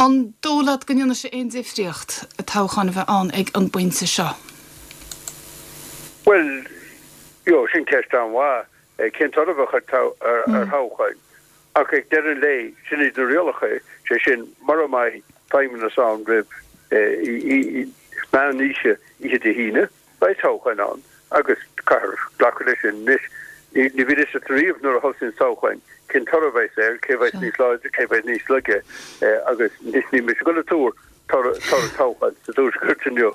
An dóigh leat go ndéanfaidh sé aon difríocht toghchán a bheith ann ag an bpointe seo? Bhuel, you know, sin ceist an-mhaith. Cén toradh a bheadh ar thoghchán? Ach ag deireadh an lae, sin iad na rialacha, sé sin, mura mbeidh feidhmeannas ann roimh meán oíche oíche Dé hAoine, beidh toghchán ann agus caithfear glacadh leis sin. Anois, ní bhíonn fhios agat riamh nuair a thosaíonn toghchán cén toradh a bheas air, cé a bheas níos láidre, cé a bheas níos laige agus anois níl mise ag dul ag tuar toradh toghcháin sa Tuaisceart inniu.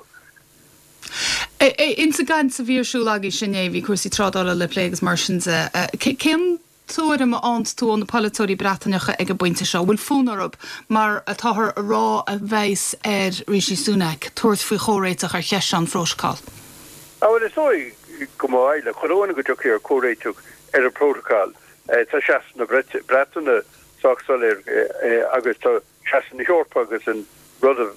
Ins an gcaint a bhí ar siúl agaibhse inné, bhí cúrsaí trádála le plé agus mar sin de. Cén tuairim a fhaigheann tú ó na polaiteoirí Breataineacha ag an bpointe seo? An bhfuil fonn orthu, mar atáthar a rá a bheas ar Rishi Sunak, tabhairt faoi chomhréiteach ar cheist seo an phrótacail? Á bhuel, is dóigh go mba mhaith le chuile dhuine go dtiocfaí ar chomhréiteach ar an bprótacal. Tá seasamh na Breataine sách soiléir agus tá seasamh na hEorpa agus an rud a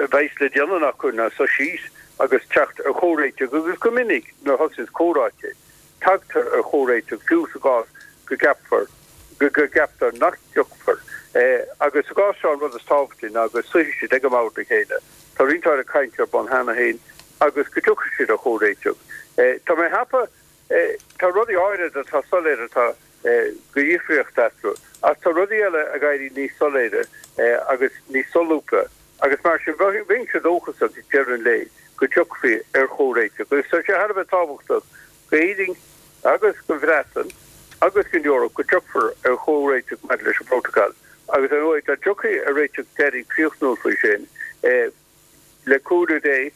bheas le déanamh acu ná suí síos agus teacht ar chomhréiteach agus go minic nuair a thosaíonns comhráite tagtar ar chomhréiteach fiú sa gcás go gceapfar go gceaptar nach dtiocfar. Agus sa gcás seo an rud is tábhachtaí ná go suífidh siad ag an mbord le chéile, tá roinnt áirid cainte ar bun cheana féin agus go dtiocfaidh siad ar chomhréiteach. Tá mé ag ceapadh Tá rudaí áirid atá soiléir atá go dhifríocht eatarthu, ach tá rudaí eile ag éirí níos soiléire agus níos solúbtha agus mar sin bheinnse dóchasach ag deireadh an lae go dtiocfaí ar chomhréiteach. Agus tá sé thar a bheith tábhachtach d'Éirinn agus don Bhreatain agus don Eoraip go dtiocfar ar chomhréiteach maidir leis an bprótacal agus ar ndóigh dá dtiocfaí ar réiteach deiridh críochnúil faoi sin, Le cúnamh Dé,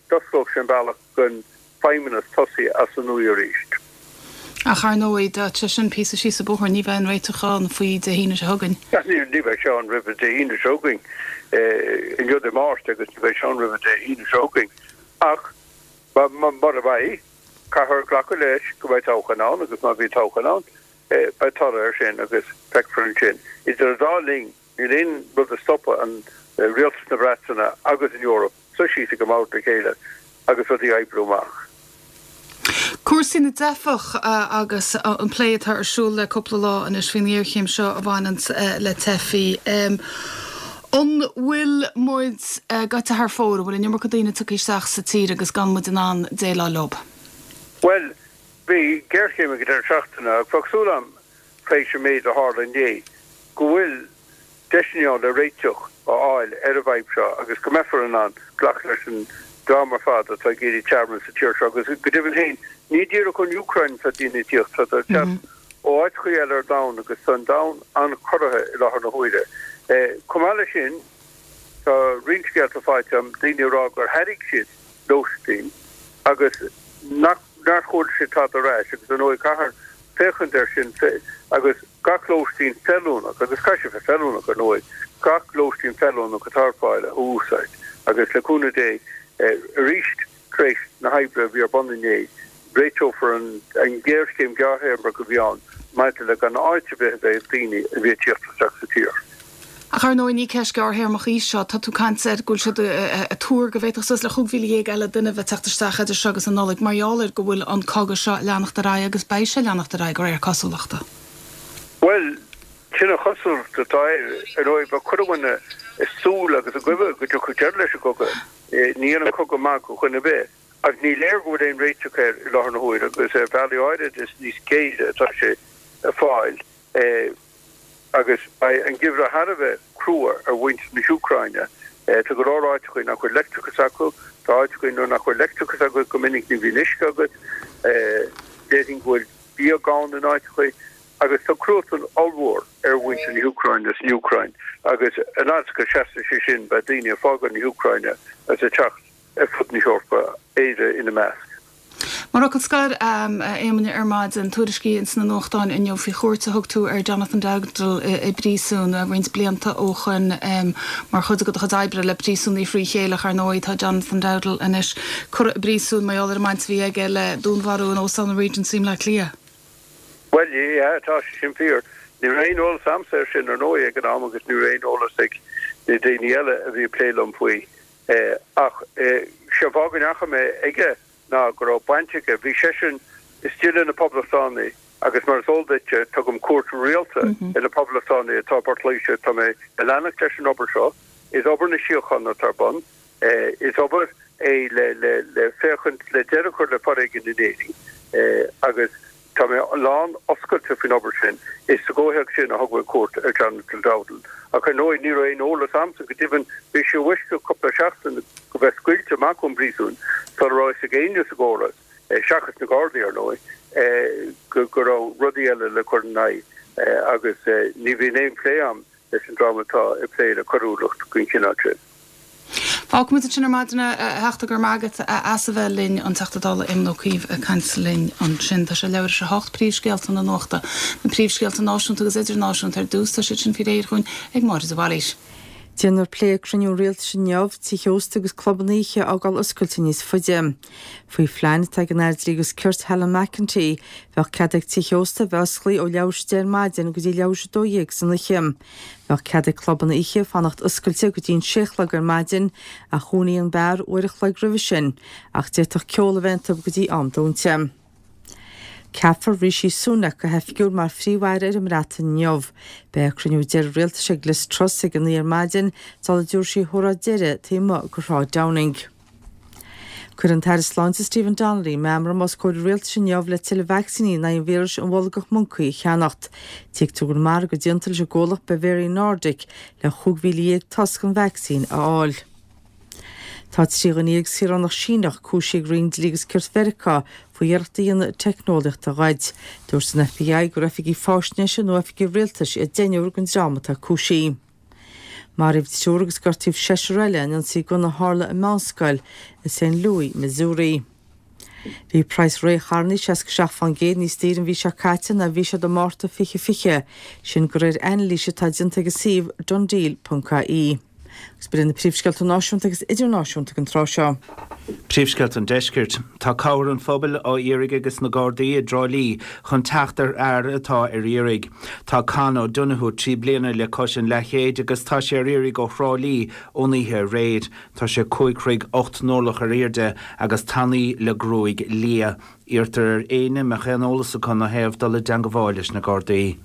d'osclódh sé an bealach don Feidhmeannas tosaí as an nua arís. Ach ar ndóigh, dá sé sin píosa síos an bóthar, ní bheidh an réiteach ann faoi Dé hAoine seo chugainn. Ní bheidh sé ann roimh Dé hAoine seo chugainn. Inniu Dé Máirt agus ní bheidh sé ann roimh Dé hAoine seo chugainn. Ach mura mbeidh, caithfear glacadh leis go mbeidh toghchán ann agus má bhíonn toghchán ann, beidh toradh air sin agus feicfear ansin. Idir an dá linn, Níl aon rud a stopfaidh an rialtas na Breataine agus an Eoraip suí síos ag an mbord le chéile agus rudaí a oibriú amach. Cúrsaí na dteifeach agus an plé atá ar siúl le cúpla lá anois faoin ngéarchéim seo a bhaineanns le teifigh. An bhfuil muid gaibhte thar fóir? An bhfuil an iomarca daoine tugtha isteach sa tír agus gan muid in ann déileáil leo? Bhuel, bhí géarchéim ag an deireadh seachtaine ach bheadh súil agam tar éis an méid a tharla inné, go bhfuil deiseanna ann le réiteach a fháil ar an bhfadhb seo agus go mbeifear in ann glacadh leis an dream ar fad atá ag iarraidh tearmann sa tír seo agus go deimhin féin, ní díreach ón Úcráin atá daoine ag tíocht, tá siad ag teacht ó áiteachaí eile ar domhan agus tá an domhan an-chorraithe i láthair na huaire. Chomh maith leis sin, tá roinnt scéalta faighte agam, daoine ag rá gur thairg siad lóistín agus nach. nár chuala siad tada ar ais agus ar ndóigh caithfear féachaint air sin agus gach lóistín feiliúnach, agus caithfidh sé bheith feiliúnach ar ndóigh, gach lóistín feiliúnach atá ar fáil a úsáid agus le cúnamh Dé arís tar éis na hoibre a bhí ar bun inné réiteofar an ghéarchéim ghearrthéarmach a bhí ann maidir le gan áit ar bith a bheith ag daoine a bhí ag tíocht isteach sa tír. Ach ar ndóigh ní ceist gearrthéarmach í seo. Tá tú ag caint ar go bhfuil siad ag tuar go bhféadfadh suas le 15,000 eile duine a bheith ag teacht isteach idir seo agus an Nollaig mar gheall ar go bhfuil an cogadh seo ag leanacht ar aghaidh agus beidh sé ag leanacht ar aghaidh de réir cosúlachta. Bhuel, sin an chosúlacht atá air. Ar ndóigh, bheadh chuile dhuine ag súil agus ag guí go dtiocfadh deireadh leis an gcogadh. Ní dhéanann cogadh maith do dhuine ar bith. Ach ní léir go bhfuil aon réiteach air i láthair na huaire agus ar bhealaí áirid is níos géire atá sé ag fáil. Agus beidh an geimhreadh thar a bheith crua ar mhuintir na hÚcráine. Tá go leor áiteachaí nach bhfuil leictreachas acu, tá áiteachaí nuair nach bhfuil leictreachas agat go minic ní bhíonn uisce agat, déarfainn go bhfuil bia gann in áiteachaí. Agus tá cruatan ollmhór ar mhuintir na hÚcráine san Úcráin agus an fhad is go seasfaidh sé sin beidh daoine ag fágáil na hÚcráine agus ag teacht ar fud na hEorpa, Éire ina measc. Mar fhocal scoir, a Éamoinn, ar maidin, tuairiscí ins na nuachtáin inniu faoi chuairt a thug tú ar Jonathan Dowdall i bpríosún roinnt blianta ó shoin mar chuid de do chuid oibre le príosúnaigh frí chéile. Ar ndóigh, tá Jonathan Dowdall anois curtha i bpríosún mar gheall ar an mbaint a bhí aige le dúnmharú in Óstán an Regency i mBleá Cliath. Bhuel, yeah, tá sé sin fíor. Ní raibh aon eolas a'msa air sin, ar ndóigh, ag an am agus ní raibh aon eolas ag na daoine eile a bhí ag plé liom faoi. Ach sé an fáth go ndeachaigh mé aige ná go raibh baint aige, bhí seisean istigh le na Poblachtánaigh agus mar is eol duit, tugaim cuairt rialta ar na Poblachtánaigh atá i bPort Laoise, tá mé ag leanacht leis an obair seo, is obair na síochána atá ar bun, is obair é le féachaint le deireadh a chur le foréigean in Éirinn agus Tá mé lán oscailte faoin obair sin. Is sa gcomhthéacs sin a thug mé cuairt ar Jonathan Dowdall. Ach ar ndóigh, ní raibh aon eolas a'msa, go deimhin bhí sé i bhfoisceacht cúpla seachtain go bheith scaoilte amach ón bpríosún sula raibh fhios ag éinne sa gcóras, seachas na Gardaí ar ndóigh, go raibh rudaí eile le cur ina aghaidh agus ní bhíonn aon phlé a'm leis an dream atá ag plé le coiriúlacht den chineál sin. Fágfaimid ansin ar maidin é, a Theachta, go raibh maith agat as a bheith linn, an Teachta Dála Éamon Ó Cuív ag caint linn ansin. Tá sé leathuair tar éis a hocht, príomhscéalta na nuachta. Na príomhscéalta náisiúnta agus idirnáisiúnta ar dtús, tá siad sin faoi réir dhúinn ag Máire de Bhailís. Déanfar plé ag cruinniú rialtais inniu, tithe ósta agus clubanna oíche a fhágáil oscailte níos faide. Faoi phlean atá ag an Aire Dlí agus Cirt Helen McEntee, bheadh cead ag tithe ósta a bheith osclaí ó leathuair tar éis a 10 ar maidin go dtí leathuair tar éis a 12 san oíche. Bheadh cead ag clubanna oíche fanacht oscailte go dtí an sé a chlog ar maidin ach dhúnfaí an beár uair a chloig roimhe sin ach d'fhéadfadh ceol a bheith iontu go dtí am dúnta. Ceapfar Rishi Sunak go hoifigiúil mar Phríomh-Aire ar an mBreatain inniu. Beidh cruinniú deiridh rialtais ag Liz Truss ag a 9 ar maidin sula dtabharfaidh sí a hóráid deiridh taobh amuigh de Shráid Downing. Cuirfidh an tAire Sláinte Stephen Donnelly meamram os comhair an Rialtais inniu le tuilleadh vacsaíní in aghaidh an víris an bholgach moncaí a cheannacht. Tuigtear go bhfuil margadh déanta leis an gcomhlacht Bavarian Nordic le 15,000 toisc den vacsaín a fháil. Tá 13 dhuine saoránach Síneach cúisithe ag Roinn Dlí agus Cirt Mheiriceá faoi iarracht a dhéanamh teicneolaíocht a ghoid. Dúirt an FBI gur oifigigh faisnéise nó oifigigh rialtais iad deichniúr den dream atá cúisithe. Maraíodh triúr agus gortaíodh seisear eile in ionsaí gunna a tharla i meánscoil i St. Louis, Missouri. Bhí praghas récharranna 67% níos daoire an mhí seo caite ná a bhí siad i Márta 2020, sin de réir anailíse atá déanta ag an suíomh DoneDeal.ie. Agus b'in iad na príomhscéalta náisiúnta agus idirnáisiúnta ag an tráth seo. Príomhscéalta an Deiscirt. Tá cabhair an phobail á iarraidh ages na Gardaí i dTrá Lí chun teacht ar fhear atá ar iarraidh. Tá Con O'Donoghue 3 bliana le cois an leathchéid agus tá sé ar iarraidh ó Thrá Lí ón oíche aréir. Tá sé 5 throigh 8 n-orlach ar airde agus tanaí le gruaig liath. Iarrtar ar éinne a mbeadh aon eolas acu ina thaobh dul i dteangabháil leis na Gardaí.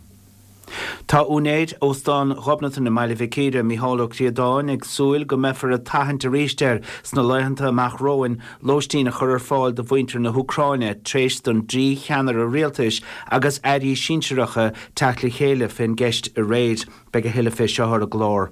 Tá úinéir Óstán Ghobnatan i mBaile Mhic Íre, Mícheál Ó Críodáin, ag súil go mbeifear ag tathant arís air sna laethanta amach romhainn lóistín a chur ar fáil do mhuintir na hÚcráine tar éis don dtrí cheannaire rialtais agus airí sinsearacha teacht le chéile fén gceist aréir. Beidh a thuilleadh fé seo ar an gclár.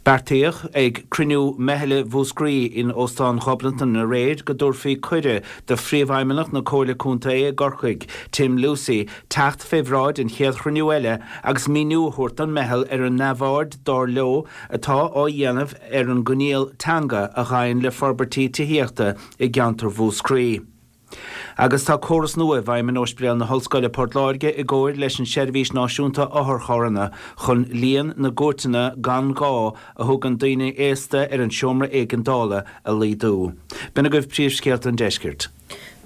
Beartaíodh ag cruinniú Meithle Mhúscraí in Óstán Ghobnatan aréir go dtabharfaí cuireadh do Phríomhfheidhmeannach na Comhairle Contae i gCorcaigh, Tim Lucey, teacht fé bhráid an chéad chruinniú eile agus míniú a thabhairt don meitheal ar an neamhaird, dar leo, atá á dhéanamh ar an gcoinníoll teanga a ghabhann le forbairtí tithíochta i gceantar Mhúscraí. Agus tá córas nua i bhfeidhm in Ospidéal na hOllscoile Port Láirge i gcomhair leis an Seirbhís Náisiúnta Otharcharranna chun líon na gcuairteanna gan ghá a thugann daoine aosta ar an seomra éigeandála a laghdú. B'in agaibh príomhscéalta an deiscirt.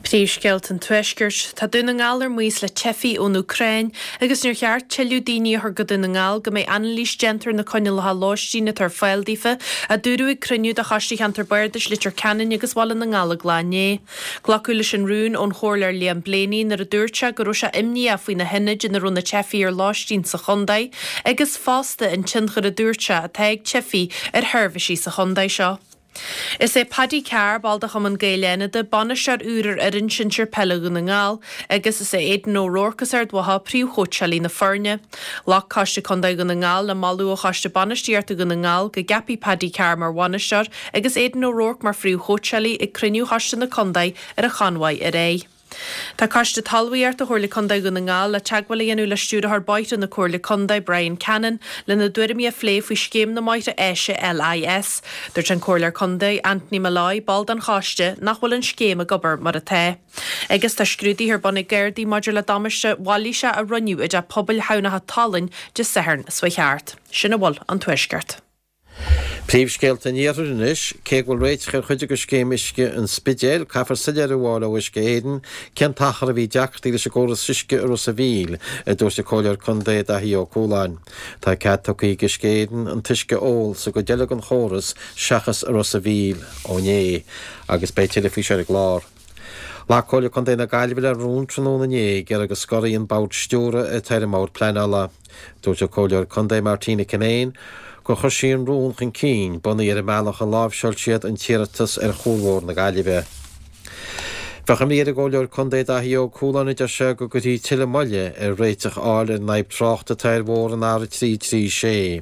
Príomhscéalta an Tuaiscirt. Tá Dún na nGall ar maos le teifigh ón Úcráin agus níor cheart tuilleadh daoine a chur go Dún na nGall go mbeidh anailís déanta ar na coinníollacha lóistín atá ar fáil daofa, a dúradh ag cruinniú de Choiste Cheantar Bardais Leitir Ceanainn agus Bhaile na nGallóglach inné. Glacadh leis an rún ón Chomhairleoir Liam Blaney nuair a dúirt sé go raibh sé imníoch faoi na hionaid ina raibh na teifigh ar lóistín sa chontae agus fosta an tionchar a dúirt sé atá ag teifigh ar sheirbhísí sa chontae seo. Is é Paddy Carr, ball de Chumann Gael Fhánada, bainisteoir úr ar fhoireann sinsir peile Dhún na nGall agus is é Aidan O'Rourke as Ard Mhacha príomhchóitseálaí na foirne. Ghlac Coiste Contae Dhún na nGall le moladh ó Choiste Bainistíochta Dhún na nGall go gceapfaí Paddy Carr mar bhainisteoir agus Aidan O'Rourke mar phríomhchóitseálaí ag cruinniú Choiste na Contae ar an Chonmhaigh aréir. Tá Coiste Talmhaíochta Chomhairle Contae Dhún na nGall le teagmháil a dhéanamh le Stiúrthóir Bóithre na Comhairle Contae, Brian Cannon, lena dtuairimí a phlé faoi scéim na mbóithre áise LIS. Dúirt an Comhairleoir Contae, Anthony Molloy, ball den choiste, nach bhfuil an scéim ag obair mar atá. Agus tá scrúduithe ar bun ag Gardaí maidir le damáiste mhailíseach a rinneadh i dteach pobail Thamhnach an tSalainn Dé Sathairn seo chuaigh thart. Sin a bhfuil ón Tuaisceart. Príomhscéalta an Iarthair anois, cé go bhfuil réiteach ar chuid de scéim uisce an Spidéil, caithfear soiléiriú a fháil ó Uisce Éireann cén t-achar a bhí deacrachtaí leis an gcóras uisce i Ros a' Mhíl, a dúirt an Comhairleoir Contae Daithí Ó Cualáin. Tá cead tugtha ag Uisce Éireann an t-uisce a ól sa gcuid eile den chóras seachas i Ros a' Mhíl ó inné, agus beidh tuilleadh faoi seo ar an gclár. Ghlac Comhairle Contae na Gaillimhe le rún tráthnóna inné ag iarraidh go scorfaí an Bord Stiúrtha atá ar an mBord Pleanála. Dúirt an Comhairleoir Contae Martina Kinane gur chuir sí an rún chun cinn bunaithe ar an mbealach a láimhseáil siad an t-iarratas ar Chuarbhóthar na Gaillimhe. Bheadh imní ar an gComhairleoir Contae Daithí Ó Cualáin a deir sé go gcuirfí tuilleadh moille ar réiteach a fháil ar an fhadhb tráchta atá ar bhóthar an R336.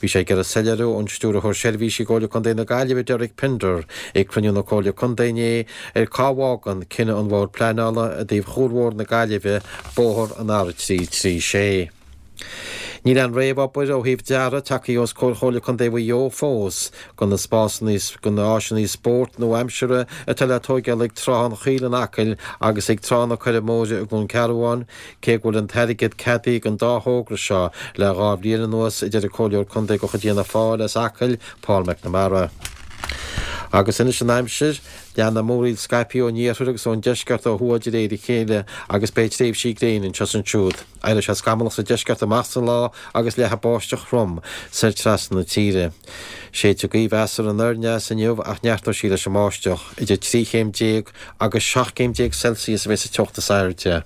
Bhí sé ag iarraidh soiléiriú ón Stiúrthóir Seirbhísí i gComhairle Contae na Gaillimhe Derek Pinder ag cruinniú na Comhairle Contae inné ar cá bhfágann cinneadh an Bhoird Pleanála i dtaobh Chuarbhóthar na Gaillimhe bóthar an R336. Níl aon réamhobair ó thaobh dearaidh tagtha os comhair Chomhairle Contae Mhaigh Eo fós do na spásanna, do na áiseanna spóirt nua-aimseartha atá le tóigeáil ag Trá an Choill in Acaill agus ag Trá na Coirre Móire i gCluain Cearbháin, cé go bhfuil an t-airgead ceadaithe don dá thogra seo le 2 bhliain anuas, a deir an Comhairleoir Contae de chuid Fhianna Fáil as Acaill, Paul McNamara. Agus anois an aimsir. Leanfaidh múraíl scaipthe ón iarthar agus ón deisceart ó thuaidh de réir a chéile agus beidh tréimhsí gréine anseo is ansiúd. Éireoidh sé scamallach sa deisceart amach sa lá agus leathfaidh báisteach throm soir trasna na tíre. Séidfidh gaoth mheasartha anoir aneas inniu ach neartóidh sí leis an mbáisteach. Idir 13 chéim agus 17 céim Celsius a bheidh sa teocht is airde.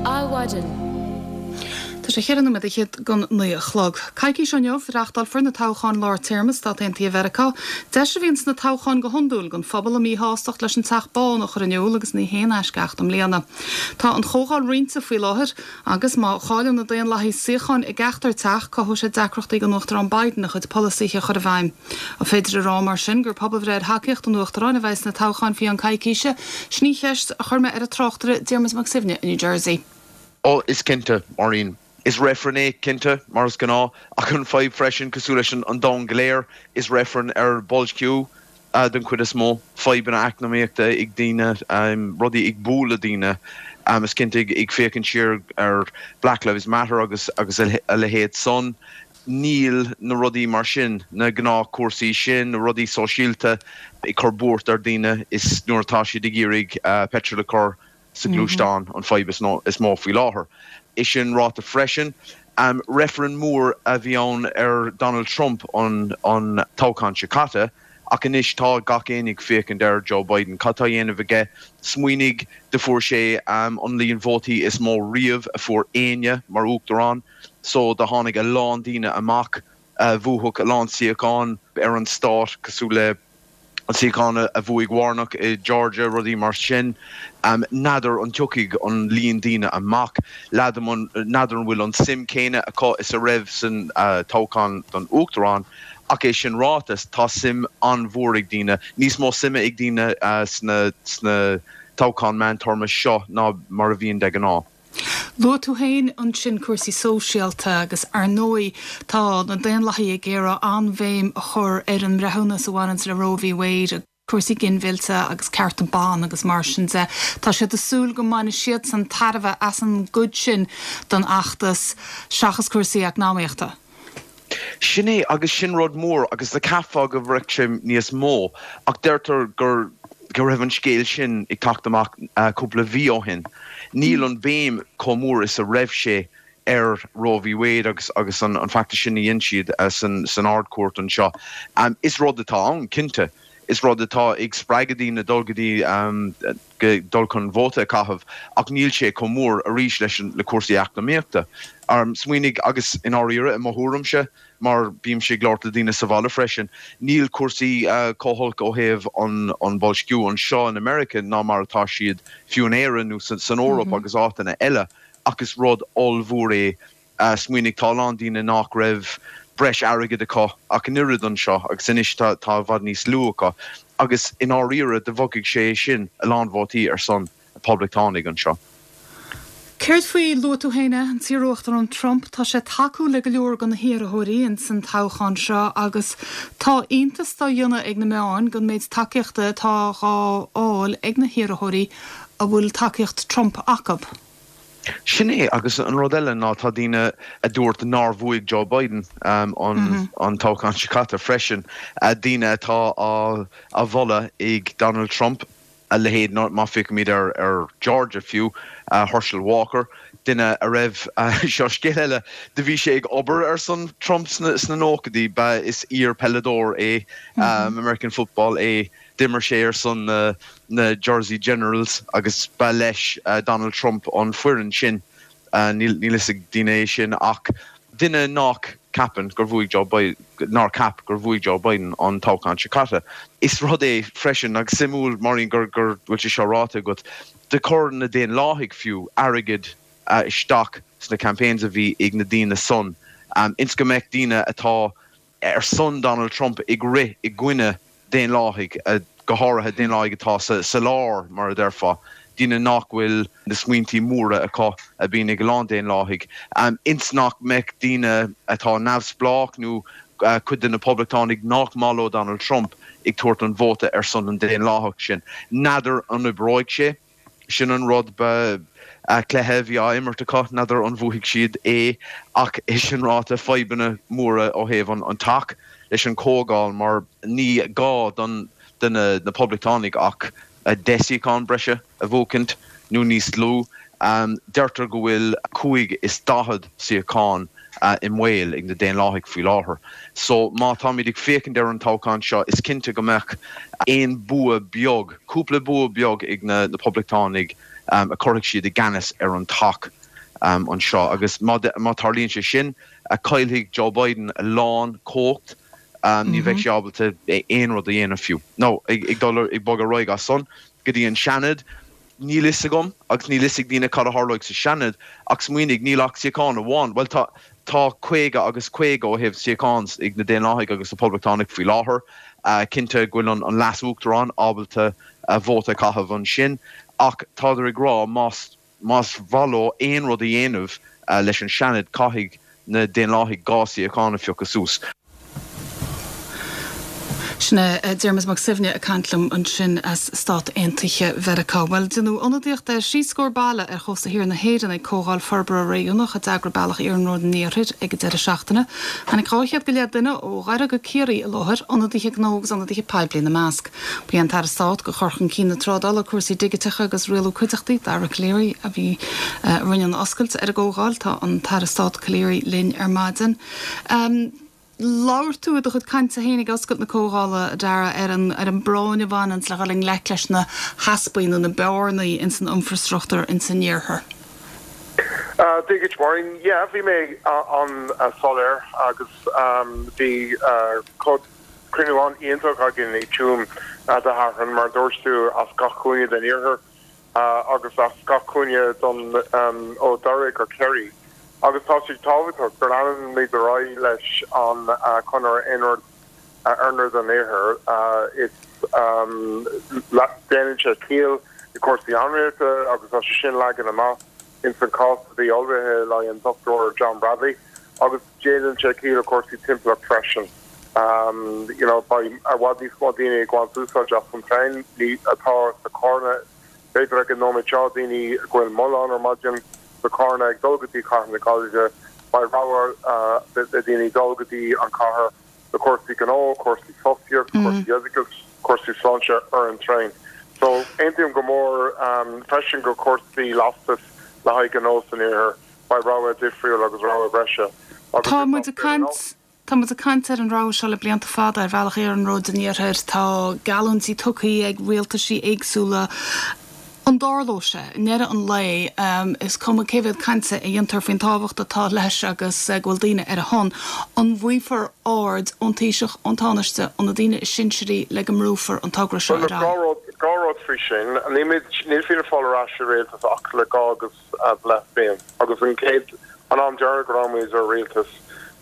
Adhmhaidin. Tá sé cheithre nóiméad fhichead don 9 a chlog. Coicís ó inniu, reáchtálfar na toghcháin lár téarma i Stát Aontaithe Mheiriceá. Deis a bhíonn sna toghcháin go hiondúil don phobal a míshástacht leis an Teach Bán a chur in iúl agus ní haon eisceacht i mbliana. Tá an Chomhdháil roinnte faoi láthair agus má chailleann na Daonlathaigh suíocháin i gceachtar teach, cothóidh sé deacrachtaí don Uachtarán Biden a chuid polasaithe a chur i bhfeidhm. An féidir a rá mar sin gur pobalbhreith ar thacaíocht don Uachtarán a bheidh sna toghcháin faoi cheann coicíse? Sin í an cheist a chuir mé ar an tráchtaire Diarmuid Mac Suibhne i New Jersey. Ó, is cinnte, Máirín. Is reifreann é, cinnte, mar is gnáth, ach an fadhb freisin, cosúil leis an domhan go léir, is reifreann ar boilsciú den chuid is mó, fadhbanna eacnamaíochta ag daoine, rudaí ag bualadh daoine. Is cinnte, ag féachaint siar ar Black Lives Matter agus a leithéid san, Níl na rudaí mar sin, na gnáthchúrsaí sin, na rudaí sóisialta ag cur buairt ar daoine is nuair atá siad ag iarraidh peitreal a chur sa gluaisteán an fadhb is mó faoi láthair. É sin ráite freisin, reifreann mór a bhí ann ar Donald Trump an toghchán seo caite ach anois tá gach éinne ag féachaint ar Joe Biden. Cad tá á dhéanamh aige? Smaoinigh, do fuair sé an líon vótaí is mó riamh a fuair éinne mar uachtarán. so do tháinig a lán daoine amach a bhuafadh a lán suíochán ar an stát, cosúil le an suíochán a bhuaigh Warnock i Georgia, rudaí mar sin. N'fheadar an dtiocfaidh an líon daoine amach, n'fheadar an bhfuil an suim céanna acu is a raibh san toghchán don uachtarán, ach é sin ráite, tá suim an-mhór ag daoine, níos mó suime ag daoine sna toghcháin meántéarma seo ná mar a bhíonn de ghnáth. Luaigh tú féin ansin cúrsaí sóisialta agus ar ndóigh tá na Daonlathaigh ag iarraidh an-bhéim a chur ar an mbreithiúnas a bhaineanns le Roe v Wade, cúrsaí ginmhillte agus cearta ban agus mar sin de. Tá siad ag súil go mbainfidh siadsan tairbhe as an gcuid sin den fheachtas seachas cúrsaí eacnamaíochta. Sin é, agus sin rud mór, agus do cheapfá go mbeadh sé níos mó, ach deirtear gur, go raibh an scéal sin ag teacht amach cúpla mhí ó shin. Níl an bhéim chomh mór is a raibh sé ar Roe v Wade agus agus an feachtas sin a dhein siad san Ard-Chúirt anseo. Is rud atá ann, cinnte. Is rud atá ag spreagadh daoine dul go dtí, dul chun vóta a chaitheamh ach níl sé chomh mór arís leis an, le cúrsaí eacnamaíochta. Smaoinigh, agus i ndáiríre, i mo thuairimse, mar bímse ag labhairt le daoine sa bhaile freisin, níl cúrsaí chomh holc ó thaobh an, an boilsciú anseo in America ná mar atá siad fiú in Éirinn nó san Eoraip agus áiteanna eile ach is rud ollmhór é Smaoinigh, tá a lán daoine nách raibh breis airgid acu ach an oiread anseo agus anois tá i bhfad níos lú acu agus i ndáiríre do bhogfaidh sé sin a lán vótaí ar son na Poblachtánaigh anseo. Céard faoi, luaigh tú féin é, an t-iarUachtarán Trump, tá sé ag tacú le go leor de na hiarrthóirí ins an toghchán seo agus tá iontas dá dhéanamh ag na meáin den méid tacaíochta atá dhá fháil ag na hiarrthóirí a bhfuil tacaíocht Trump acu. Sin é, agus an rud eile ná tá daoine a dúirt nár bhuaigh Joe Biden an toghchán seo caite freisin, daoine atá á mholadh ag Donald Trump, a leithéid, má féachaimid ar Georgia fiú, Herschel Walker, duine a raibh, seo scéal eile, do bhí sé ag obair ar son Trump sna nóchaidí, ba, is iar-pheileadóir é, American football é. D'imir sé ar son na Jersey Generals agus ba leis Donald Trump an foireann sin. Níl fhios ag daoine é sin ach duine nách ceapann gur bhuaigh Joe Biden, nár cheap gur bhuaigh Joe Biden an toghchán seo caite. Is rud é freisin, agus suimiúil Máirín gur bhfuil sé seo ráite agat, do chuir na Daonlathaigh fiú airgead isteach sna campaigns a bhí ag na daoine san ins go mbeadh daoine atá ar son Donald Trump ag rith i gcoinne Daonlathaigh, go háirithe Daonlathaigh atá sa lár, mar a déarfá, daoine nach bhfuil na smaointí móra acu a bhíonn ag a lán Daonlathaigh, ins nach mbeadh daoine atá neamhspleách nó cuid de na Poblachtánaigh nach maith leo Donald Trump ag tabhairt an vóta ar son an Daonlathach sin. N'fheadar an oibreoidh sé. Sin an rud, ba cluiche a bhí á imirt acu, n'fheadar an bhuafaidh siad é ach é sin ráite, fadhbanna móra ó thaobh an teach leis an chomhdháil mar ní gá don do na Poblachtánaigh ach 10 suíochán breise a bhuachaint nó níos lú. Deirtear go bhfuil 45 suíochán i mbaol ag na Daonlathaigh faoi láthair. So má táimid ag féachaint ar an toghchán seo is cinnte go mbeadh aon bua beag, cúpla bua beag ag na Poblachtánaigh a chuirfidh siad i gceannas ar an teach anseo agus má tarlaíonn sé sin caillfidh Joe Biden a lán cumhacht, ní bheidh sé ábalta aon rud a dhéanamh fiú. Now ag dul ag bogadh ar aghaidh as san go dtí an Seanad, Níl fhios agam, agus níl fhios ag daoine cad a tharlóidh sa Seanad, ach smaoinigh, níl ach suíochán amháin, bhuel tá, tá 50 agus 50 ó thaobh suíochán ag na Daonlathaigh agus na Poblachtánaigh faoi láthair. Cinnte go bhfuil an Leas-Uachtarán ábalta vóta a chaitheamh ansin, ach tádar ag rá más, más mhaith leo aon rud a dhéanamh leis an Seanad, caithfidh na Daonlathaigh 2 suíochán a phiocadh suas. Sin é Diarmuid Mac Suibhne ag caint liom ansin as Stát Aontaithe Mheiriceá. Bhuel, déanadh ionadaíocht de thrí scór baile ar chósta thiar na hÉireann ag Comhdháil Forbartha Réigiúnach a d'eagraigh Bealach Iarnróid an Iarthair ag an deireadh seachtaine. Tháinig 200 go leith duine ó Dhoire go Ciarraí i láthair, ionadaithe gnó agus ionadaithe poiblí ina measc. Ba é an tAire Stáit do Chur Chun Cinn na Trádála, Cúrsaí Digiteacha agus Rialú Cuideachtaí, Dara Calleary, a bhí a rinne an oscailt ar an gcomhdháil. Tá an tAire Stáit Calleary linn ar maidin. Labhair tú i do chuid cainte féin ag oscailt na comhdhála, a Dara, ar an ar an bpráinn a bhaineanns le dhul i ngleic leis na heaspaí nó na bearnaí ins an infreastruchtúr ins an iarthar. Dia dhuit Máirín. Yeah, bhí mé an-soiléir agus bhí cruinniú an-iontach againn i Tuaim Dé Sathairn, mar a dúirt tú, as gach cúinne den iarthar agus as gach cúinne don ó Dhoire go Ciarraí. Agus tá sé tábhachtach go leanfaimid ar aghaidh leis an chonair Iarnróid an Iarthair. Is déanann sé ciall i cúrsaí iomaíochta agus tá sé sin leagan amach ins an cás a bhí ullmhaithe le an Dr John Bradley agus déanann sé ciall i cúrsaí timpeallacht freisin. You know, beidh i bhfad níos mó daoine ag baint úsáid as an traein atá sa Charna B'fhéidir ag an nóiméad seo, daoine go bhfuil moll ann ar maidin sa Charna ag dul go dtí cathair na Gaillimhe, beidh rogha le daoine dul go dtí an chathair le cúrsaí gnó, cúrsaí fostaíocht, cúrsaí oideachais, cúrsaí sláinte ar an traein. So, aontaím go mór freisin go cúrsaí lastais le haghaidh gnó san iarthar, beidh rogha difriúil agus rogha breise agus Tá muid ag caint. Tá muid ag caint ar an rogha seo le blianta fada, ar bhealach iarnróid an iarthair. Tá geallúintí tugtha ag rialtaisí éagsúla. An dtarlóidh sé? I ndeireadh an lae, is cuma cé mhéad cainte a dhéantar faoin tábhacht atá leis agus go bhfuil daoine ar a shon, an bhfaighfear aird ón Taoiseach, ón Tánaiste, ó na daoine is sinsearaí le go mbrúfar an togra seo ar aghaidh? Dhá rud faoi sin. Níl Fianna Fáil ar ais i rialtas ach le dhá agus leath bliain agus an chéad, an am deireadh go raibh muid i rialtas,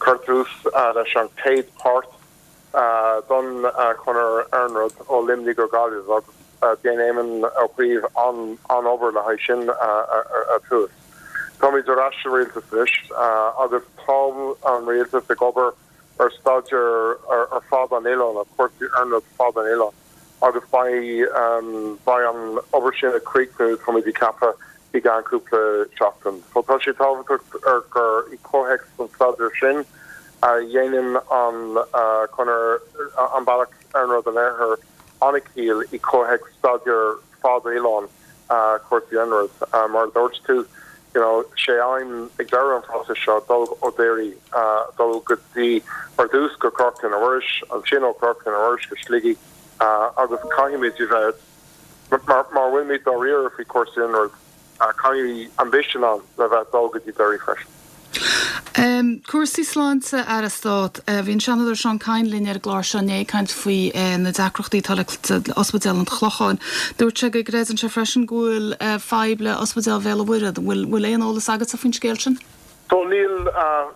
cuir tús leis an chéad páirt don chonair iarnróid ó Luimnigh go Gaillimh agus dhein Éamon Ó Cuív an-obair le haghaidh sin a tús. Táimid ar ais sa rialtas anois agus tá an rialtas ag obair ar staidéar ar fad an oileáin, ar chúrsaí iarnróid fad an oileáin agus beidh beidh an obair sin ag críochnú, táimid ag ceapadh, i gceann cúpla seachtain. So tá sé tábhachtach ar gur i comhthéacs an staidéir sin a dhéanann an conair, an bealach iarnróid an Iarthair an-chiall i comhthéacs staidéar fad oileáin cúrsaí iarnróid. Mar a dúirt tú, you know, sé aidhm ag deireadh an phróisis seo dul ó Derry, dul go dtí, ar dtús go Corca na Muiris, ansin ó Chorca na Muiris go Sligigh agus caithfimid a bheith, mar mar bhfuilimid dáiríre faoi chúrsaí iarnróid, caithfidh ambition ann le bheith dul go dtí Derry freisin. Cúrsaí sláinte, Aire Stáit. Bhí an Seanadóir Seán Kyne linn ar an gclár seo inné ag caint faoi na deacrachtaí atá le Ospidéal an Chlocháin. Dúirt sé go gcreideann sé freisin go bhfuil fadhb le Ospidéal Bhéal an Mhuirthead. An bhfuil aon eolas agatsa faoin scéal sin? So níl,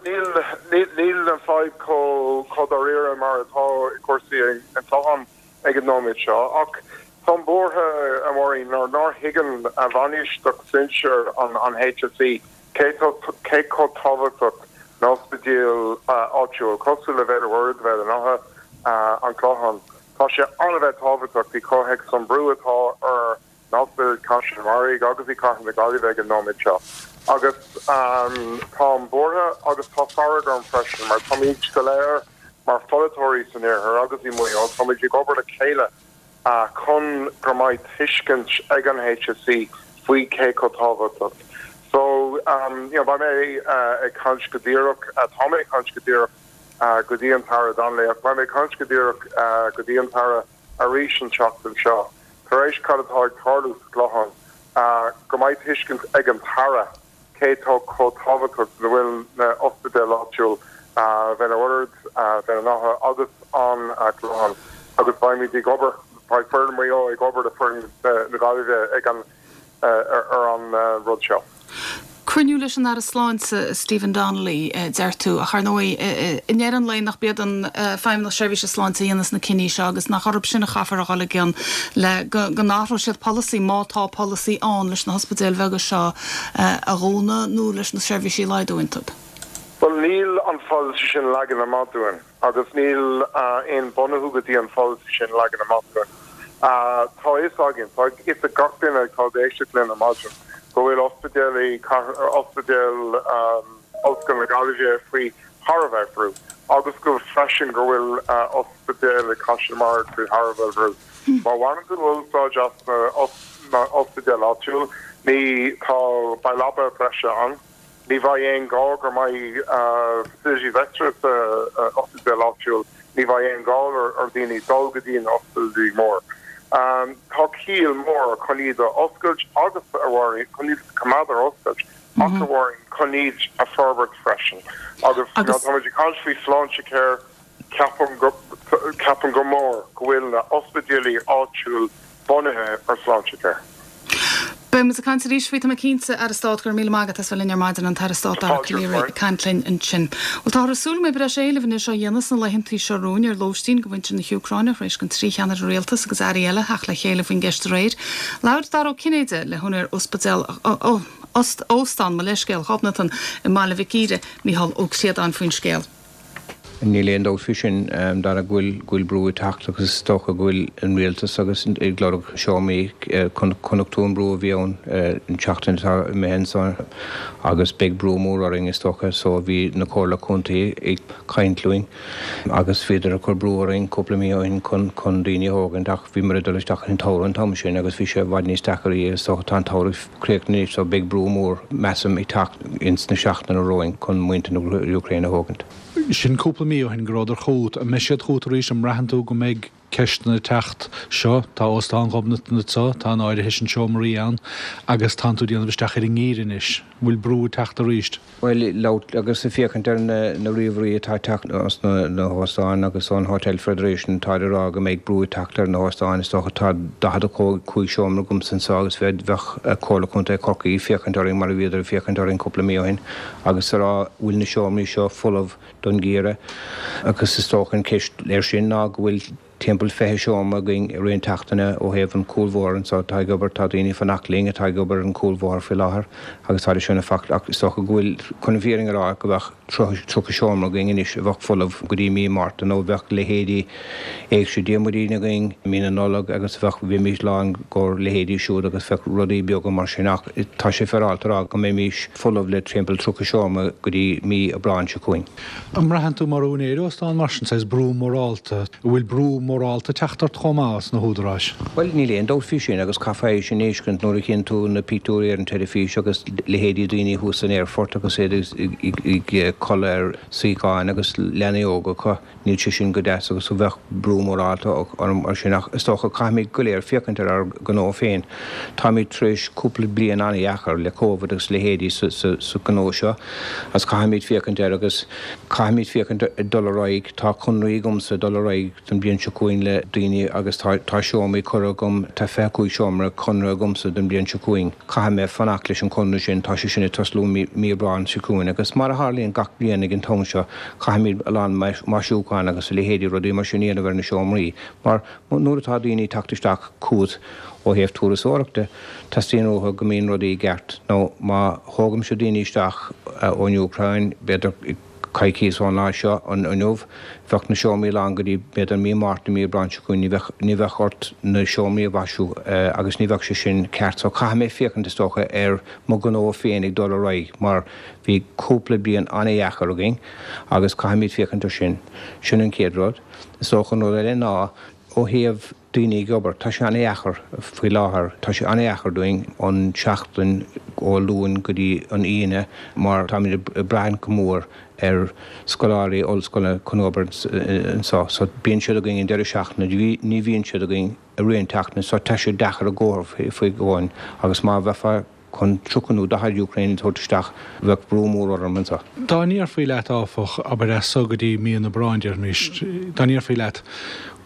níl, níl an fadhb chomh dáiríre mar atá i cúrsaí an Chlocháin ag an nóiméad seo ach táim buartha, a Mháirín, nuair nár thuigeann bainistíocht sinsir an HSE cé chomh tábhachtach na hospidéil áitiúil, cosúil le Béal an Mhuirthead, Béal an Átha, An Clochán. Tá sé an-bheith tábhachtach i comhthéacs an brú atá ar na hospidéil Caisleán an Bharraigh agus i Cathair na Gaillimhe ag an nóiméad seo. Agus táim buartha agus tá fearg orm freisin mar táimid go léir mar pholaiteoirí san Iarthar agus i Maigh Eo, táimid ag obair le chéile chun go mbeidh tuiscint ag an HSE faoi cé chomh tábhachtach. So, you know, beidh mé ag caint go díreach, tá mé ag caint go díreach go dtí an tAire Donnelly ach beidh mé ag caint go díreach go dtí an tAire arís an tseachtain seo, tar éis cad atá ag tarlú sa Chlochán, go mbeidh tuiscint ag an tAire cé tá chomh tábhachtach go bhfuil na ospidéil áitiúil, Bhéal an Mhuirthead, Béal an Átha agus an Clochán agus beimid ag obair, beidh foireann Mhaigh Eo ag obair le foireann na Gaillimhe ag an ar an rud seo. Cruinniú leis an Aire Sláinte, Stephen Donnelly, deir tú, ach ar ndóigh, i ndeireadh an lae, nach b'iad an Feidhmeannas Seirbhíse Sláinte a dhéanas na cinní seo agus nach orthu sin a chaithfear a dhul i gcion le go n-athróidh siad polasaí, má tá polasaí ann, leis na hospidéil bheaga seo a dhúnadh nó leis na seirbhísí a laghdú iontu? Bhuel, níl an pholasaí sin leagan amach dúinn. Agus níl aon bunú go dtí an pholasaí sin leagan amach dúinn. Tá fhios againn, tá fhios ag gach duine atá ag éisteacht linn ar maidin, go bhfuil ospidéal i Ospidéal Ollscoil na Gaillimhe faoi thar a bheith brú agus go freisin go bhfuil ospidéal i Caisleán an Bharraigh faoi thar a bheith brú. Má bhaineann tú úsáid as na ospidéil áitiúil, ní, tá, beidh leaba breise ann. Ní bheidh aon ghá go mbeidh facilities extra sa ospidéal áitiúil, ní bheidh aon ghá ar dhaoine dul go dtí an ospidéal mór. Tá ciall mór chun iad a oscailt agus a Mháirín, chun iad a choimeád ar oscailt ach a Mháirín, chun iad a forbairt freisin. Agus táimid ag caint faoi Sláintecare, Ceapaim go, ceapaim go mór go bhfuil na ospidéalaí áitiúil bunaithe ar Sláintecare. Beidh muid ag caint arís faoi, tá mé cinnte, Aire Stáit, go raibh míle maith agat as bheith linn ar maidin, an tAire Stáit Dara Calleary ag caint linn ansin. Bhuel, táthar ag súil go mbeidh breis éilimh anois á dhéanamh sna laethantaí seo romhainn ar lóistín do mhuintir na hÚcráine tar éis don trí cheannaire rialtais agus airí eile theacht le chéile faoin gceist aréir. Labhair Dara Ó Cinnéide le húinéir ospidéal, Óstán, mo leithscéal, Ghobnatan i mBaile Mhic Íre, Micheál Ó Críodáin faoin scéal. Níl aon dabht faoi sin, Dara, go bhfuil brú ag teacht agus is dócha go bhfuil an rialtas agus ag lorg seomraí. Chonaic tú an brú a bhí ann an tseachtain atá imithe anso agus beidh brú mór orainn is dócha so bhí na comhairle contae ag caint linn agus bhíodar ag cur brú orainn cúpla mí ó shin chun chun daoine a thógaint ach bhíomar ag dul isteach an tsamhradh an t-am sin agus bhí sé i bhfad níos deacair is dócha tá an tsamhradh críochnaithe anois so beidh brú mór, measaim, ag teacht ins na seachtainí romhainn chun muintir na hÚcráine a thógaint. Sin cúpla. cúpla mí ó shin go rabhadar chugat. An mbeidh siad chugat arís? An mbraitheann tú go mbeidh ceisteanna ag teacht? Seo, tá Óstán Ghobnatan anseo, tá an áirithe sin seomraí ann agus tánn tú ag déanamh isteach ar an ngeimhreadh anois. An bhfuil brú ag teacht arís? Bhuel, labhairt agus ag féachaint ar na ríomhairí atá ag teacht os na hóstáin agus ón Hotel Federation táid ag rá go mbeidh brú ag teacht ar na hóstáin. Is dócha tá 45 seomra agamsa anseo agus bheadh Comhairle Contae Chorcaí ag féachaint orainn mar a bhíodar ag féachaint orainn cúpla mí ó shin agus ag rá bhfuil na seomraí seo folamh don gheimhreadh agus is dócha an ceist air sin ná go bhfuil Timpeall 20 seomra againn i rith an tseachtaine ó thaobh an cúlbhóthar anseo atá ag obair. Tá daoine ag fanacht linn atá ag obair ar an cúlbhóthar faoi láthair agus tá sin ag fanacht ach is dócha go bhfuil, chun an fhírinne a rá, go bheadh 30 seomra againn anois a bheadh folamh go dtí mí Márta nó bheadh leithéidí Éigse Diarmuidín againn mí na Nollag agus bheadh, bheimís lán go leithéidí siúd agus bheadh rudaí beaga mar sin ach tá sé féaráilte a rá go mbeimis folamh le timpeall 30 seomra go dtí mí Aibreáin seo chugainn. An mbraitheann tú mar úinéir óstán mar sin, saghas brú mórálta, an bhfuil brú mórálta ag teacht ort chomh maith os na húdaráis? Bhuel, níl aon dabht faoi sin agus caithfeá é sin a fheiscint nuair a chíonn tú na pictiúirí ar an teilifís agus leithéidí daoine thuas san aerfort agus iad ag codladh ar suíocháin agus leanaí óga acu. Níl sé sin go deas agus bheadh brú mórálta orm ar sin ach is dócha caithfimid go léir féachaint ar ár ngnó féin. Táimid tar éis cúpla bliain an-dheacair le Covid agus leithéidí sa ghnó seo agus caithfimid féachaint air agus caithfimid féachaint ag dul ar aghaidh. Tá conraí agamsa ag dul ar aghaidh don bhliain seo chugainn le daoine agus tá tá seomraí curtha agam, tá 25 seomra conraithe agamsa don bhliain seo chugainn. Caithfidh mé fanacht leis an conradh sin, tá sé sin ag tosnú mí Aibreáin seo chugainn agus mar a tharlaíonn gach bliain ag an t-am seo, Caithfimid a lán maisiúchán agus a leithéidí rudaí mar sin a dhéanamh ar na seomraí mar nuair atá daoine ag teacht isteach chugat ó thaobh turasóireachta, teastaíonn uathu go mbíonn rudaí i gceart. Nó má thógaimse daoine isteach ón Úcráin, b'fhéidir coicíos ón lá seo inniu, bheadh na seomraí lán go dtí b'fhéidir mí Márta, mí Aibreáin seo chugainn, ní bheadh, ní bheadh ort na seomraí a mhaisiú agus ní bheadh sé sin ceart. So caithfidh mé féachaint is dócha ar mo ghnó féin ag dul ar aghaidh mar Bhí cúpla bliain an-dheacair againn agus caithfimid féachaint ar sin. Sin an chéad rud. Is dócha an rud eile ná ó thaobh daoine ag obair, tá sé an-dheacair faoi láthair. Tá sé an-dheacair dúinn an tseachtain ó Luan go dtí an Aoine mar táimid ag brath go mór ar scoláirí ollscoile chun obair anseo. So bíonn siad againn an deireadh seachtaine, ní bhíonn siad againn i rith an tseachtaine. So tá sé deacair i gcónaí faoi dhóin agus má bheifeá chun 30 nó 40 Ukraine a thabhairt isteach, bheadh brú mór orm anseo. Dá ndéarfaí leat, áfach, abair as so go dtí mí an Aibreáin, déarfaimis, dá ndéarfaí leat,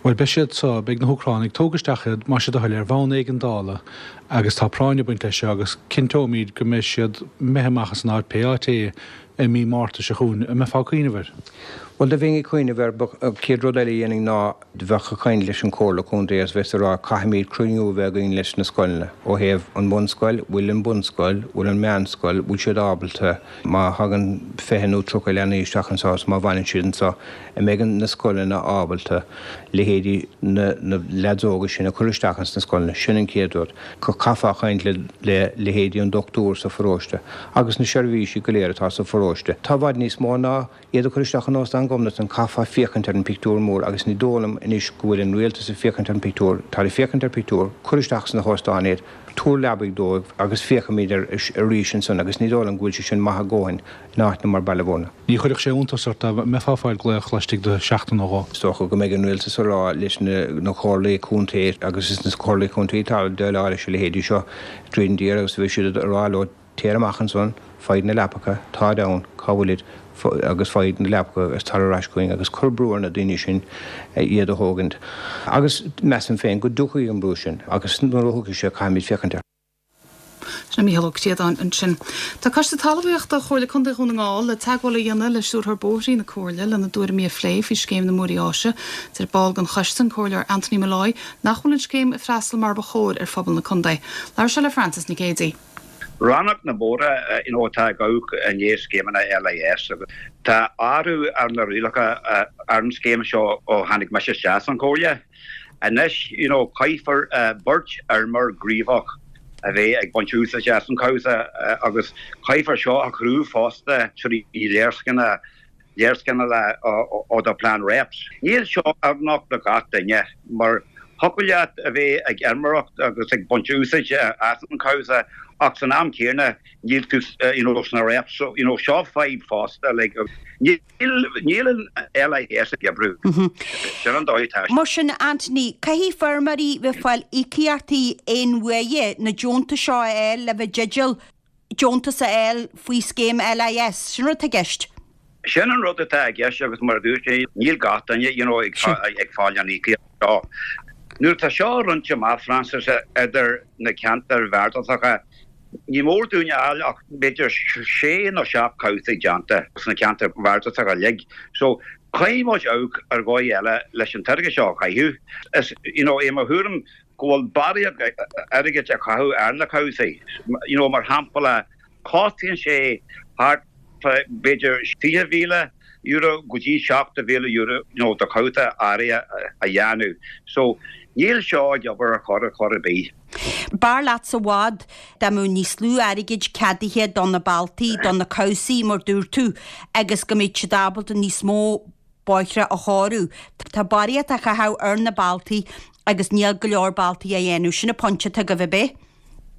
bhuel, beidh siad so, beidh na hÚcránaigh, tóg isteach iad, más é do thoil, ar bhonn éigeandála agus tá práinn ag baint leis seo agus cinnteoimid go mbeidh siad imithe amach as an áit, pé áit é, i mí Márta seo chugainn, an mbeifeá ag cuimhneamh air? Bhuel, do bheinn ag cuimhneamh air, but an chéad rud eile a dhéanfainn ná, bheadh ag caint leis an Chomhairle Contae agus bheas ag rá caithfimid cruinniú a bheith againn leis na scoileanna ó thaobh an bhunscoil, bhfuil an bunscoil, bhfuil an meánscoil, bhfuil siad ábalta, má thagann 20 nó 30 leanaí isteach anseo agus má bhaineann siad anseo, an mbeidh na scoileanna ábalta leithéidí na na leaids óga sin a chur isteach ins na scoileanna, sin an chéad rud. Chaithfeá caint le le leithéidí an dochtúir sa pharóiste agus na seirbhísí go léir atá sa pharóiste. Tá i bhfad níos mó ná Iad a chur isteach in Óstán Ghobnatan, chaithfeá féachaint ar an pictiúr mór agus ní dóigh liom anois go bhfuil an rialtas ag féachaint ar an pictiúr, táid ag féachaint ar pictiúr, cuir isteach sna hóstáin iad, tabhair leabaidh dóibh agus féachfaimid air arís ansan agus ní dóigh liom go bhfuil sé sin maith a dhóthain in áiteanna mar Baile Bhúirne. Ní chuirfeadh sé iontas ort dá mbeifeá ag fáil glaoch laistigh de sheachtain nó dhó. Is dócha go mbeidh an rialtas ag rá leis na comhairlí contae agus is na comhairlí contae atá ag déileáil leis a leithéidí seo tríd an dtír agus beidh siad ag rá leo Téir amach ansan, faigh na leapacha, táid ann, cá bhfuilid, agus faigh na leapacha agus tar ar ais chugainn agus cuir brú ar na daoine sin iad a thógaint. Agus measaim féin go dtiocfaidh an brú sin agus nuair a thiocfaidh sé caithfimid féachaint air. Sin é Mícheál Ó Críodáin ansin. Tá Coiste Talmhaíochta Chomhairle Contae Dhún na nGall le teagmháil a dhéanamh le Stiúrthóir Bóithrí na Comhairle lena dtuairimí a phlé faoi scéim na mBóithrí Áise. Deir ball den choiste, an Comhairleoir Anthony Molloy, nach bhfuil an scéim ag freastal mar ba chóir ar phobal na contae. Labhair sé le Frances Nic Géadaigh. Rannóg na mbóithre you know atá ag amharc i ndiaidh scéimeanna LIS agus tá athrú ar na rialacha ar an scéim seo ó tháinig mise isteach san Chomhairle. Anois you know caithfear beirt fheirmeoir gníomhach a bheith ag baint úsáide as an cabhsa agus caithfear seo a chruthú fosta trí léarscáileanna léarscáileanna ó do plean REPS. Níl seo oiriúnach do gach duine mar. Thiocfadh leat a bheith ag fheirmeoireacht agus ag baint úsáid as an chabhsa ach san am céanna níl tú you know sna réacht so you know seo fadhb fosta like níl níl an LIS ag oibriú. Sin an dóigh atá sé. Mar sin Anthony, caithfidh feirmeoirí bheith ag fáil íocaíochtaí aon uaire na deontais seo a fháil le bheith i dteideal deontas a fháil faoi scéim LIS. Sin an rud atá i gceist. Sin an rud atá i gceist agus mar a dúirt mé, níl gach duine you know ag fáil an íocaíocht seo. Nuair atá seo roinnte amach, Francis, idir na ceantair bhardasacha, ní mór dúinn a fháil ach b'fhéidir sé nó seacht cabhsaí déanta sna ceantair bhardasacha uilig. So, caithfidh muid amharc ar dhóigh eile leis an t-airgead seo a chaitheamh. Is, you know, é mo thuairim go bhfuil barraíocht airgid á chaitheamh ar na cabhsaí. You know, mar shampla, cosnaíonn sé thart fá b'fhéidir €20,000 go dtí €70,000 you know, do chabhsa áirithe a dhéanamh. So, níl seo ag obair ar chor ar chor ar bith. B'fhearr leatsa i bhfad dá mbeadh níos lú airgid ceadaithe do na bealtaí, do na cabhsaí mar dúirt tú, agus go mbeadh siad ábalta níos mó bóithre a chóiriú. Tá barraíocht á chaitheamh ar na bealtaí agus níl go leor bealtaí á dhéanamh. Sin an pointe atá agaibh, ab é?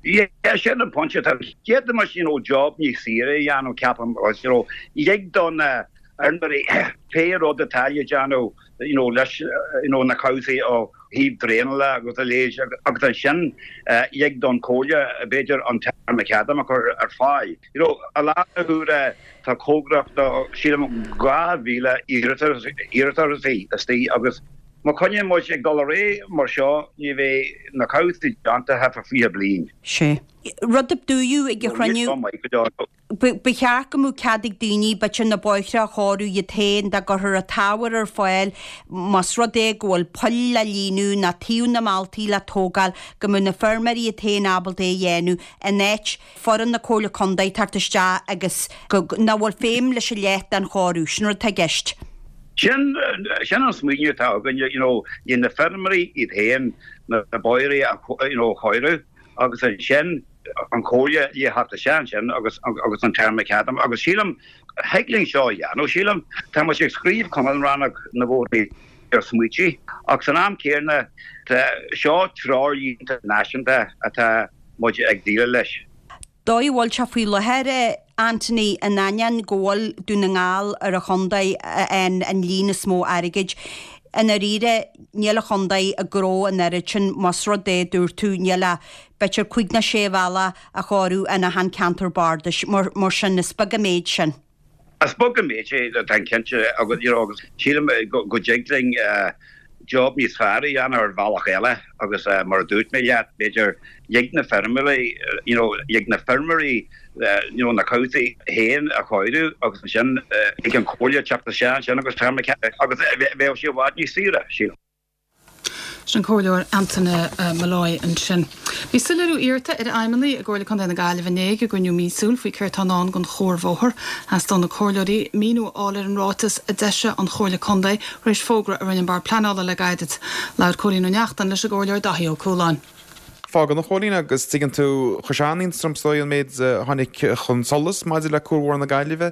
Yeah, sin an pointe atá. D'fhéadfaimis, you know, job níos saoire a dhéanamh, ceapaim, agus, you know, lig do na feirmeoirí pé rud atá le déanamh, you know, leis, you know, na cabhsaí ó thaobh draenála agus a leithéid agus ansin lig don Chomhairle, b'fhéidir, an tar macadam a chur ar fáil. You know, i láthair na huaire tá cóngarach do, sílim, 2,000 iarratas istigh agus má choinníonn muid ag dul ar aghaidh mar seo ní bheidh na cabhsaí déanta thart fá 20 bliain. Sé rud a dúradh ag an chruinniú. Ba cheart go mbeadh cead ag daoine, b'fhéidir, na bóithre a chóiriú iad féin dá gcuirfear an t-ábhar ar fáil más rud é go bhfuil poill le líonadh ná taobh na mbealtaí le tógáil, go mbeadh na feirmeoirí iad féin ábalta é a dhéanamh in áit foireann na Comhairle Contae teacht isteach agus go, nach bhfuil feidhm leis a leath den chóiriú. Sin rud atá i gceist. Sin, sin an smaoineamh atá againne, you know, le na feirmeoirí iad féin na bóithre a, you know, a chóiriú agus ansin an Chomhairle le theacht isteach ansin agus, agus an tar macadam agus sílim, thig linn seo a dhéanamh, sílim. Tá muid ag scríobh conán rannóg na bhóithrí ar smaoití ach san am céanna tá seo treoirlínte náisiúnta atá muid ag déileáil leis. Dóigh a bhfuil sé faoi láthair, Anthony, in ainneoin go bhfuil Dún na nGall ar an chontae a fhaigheann an líon is mó airgid, i ndáiríre níl an chontae ag gnóthú an oiread sin más rud é, dúirt tú, níl ach b'fhéidir cúig nó sé bhealach á chóiriú in achan ceantar bardais. Mar sin, is beag an méid sin. Is beag an méid é, táim cinnte, agus you know agus sílim go dtig linn job níos fearr a dhéanamh ar bhealach eile agus mar a dúirt mé leat, b'fhéidir lig na feirmeoirí, you know lig na feirmeoirí you know na cabhsaí féin a chóiriú agus ansin lig an Chomhairle teacht isteach ansin agus agus bheadh sé i bhfad níos saoire, sílim. Sin an Comhairleoir Antaine Molloy ansin. Bhí soiléiriú iarrta ar fheidhmeannaigh i gComhairle Contae na Gaillimhe inné ag a gcruinniú míosúil faoi céard tá i ndán don chuarbhóthar. Theastaigh ó na comhairleoirí míniú a fháil ar an ráiteas a d'eisigh an Chomhairle Contae tar éis fógra a rinne an Bord Pleanála le gairid. Labhair Cóilín Ó Neachtain leis an gComhairleoir Dáithí Ó Cualáin. Fágann a Chóilín agus tuigeann tú, chuir sé an-iontas orm is dóigh an méid a tháinig chun solais maidir le Cuarbhóthar na Gaillimhe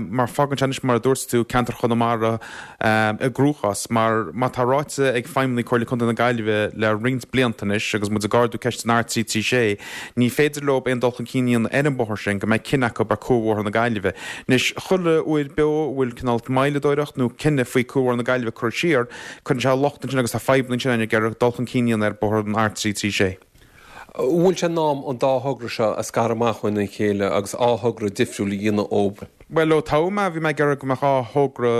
mar fágann sé anois mar a dúirt tú ceantar Chonamara i gcruachás mar má tá ráite ag feidhmeannaigh Comhairle Contae na Gaillimhe le roinnt blianta anois agus muid ag ardú ceist an R336 ní féidir leo aon dul chun cinn a dhéanamh ar an bóthar sin go mbeidh cinneadh acu ar Cuarbhóthar na Gaillimhe. Anois chuile uair beo a bhfuil cineál moilleadóireacht nó cinneadh faoi Cuarbhóthar na Gaillimhe curtha siar Cuireann sé locht ansin agus tá fadhbanna ansin ag iarraidh dul chun cinn a dhéanamh ar bóthar an R336. An bhfuil sé in am an dá thogra seo a scaradh amach óna chéile agus dhá thogra difriúil a dhéanamh dhóibh? Bhuel, ó toghadh mé, bhí mé ag iarraidh go mbeadh dhá thogra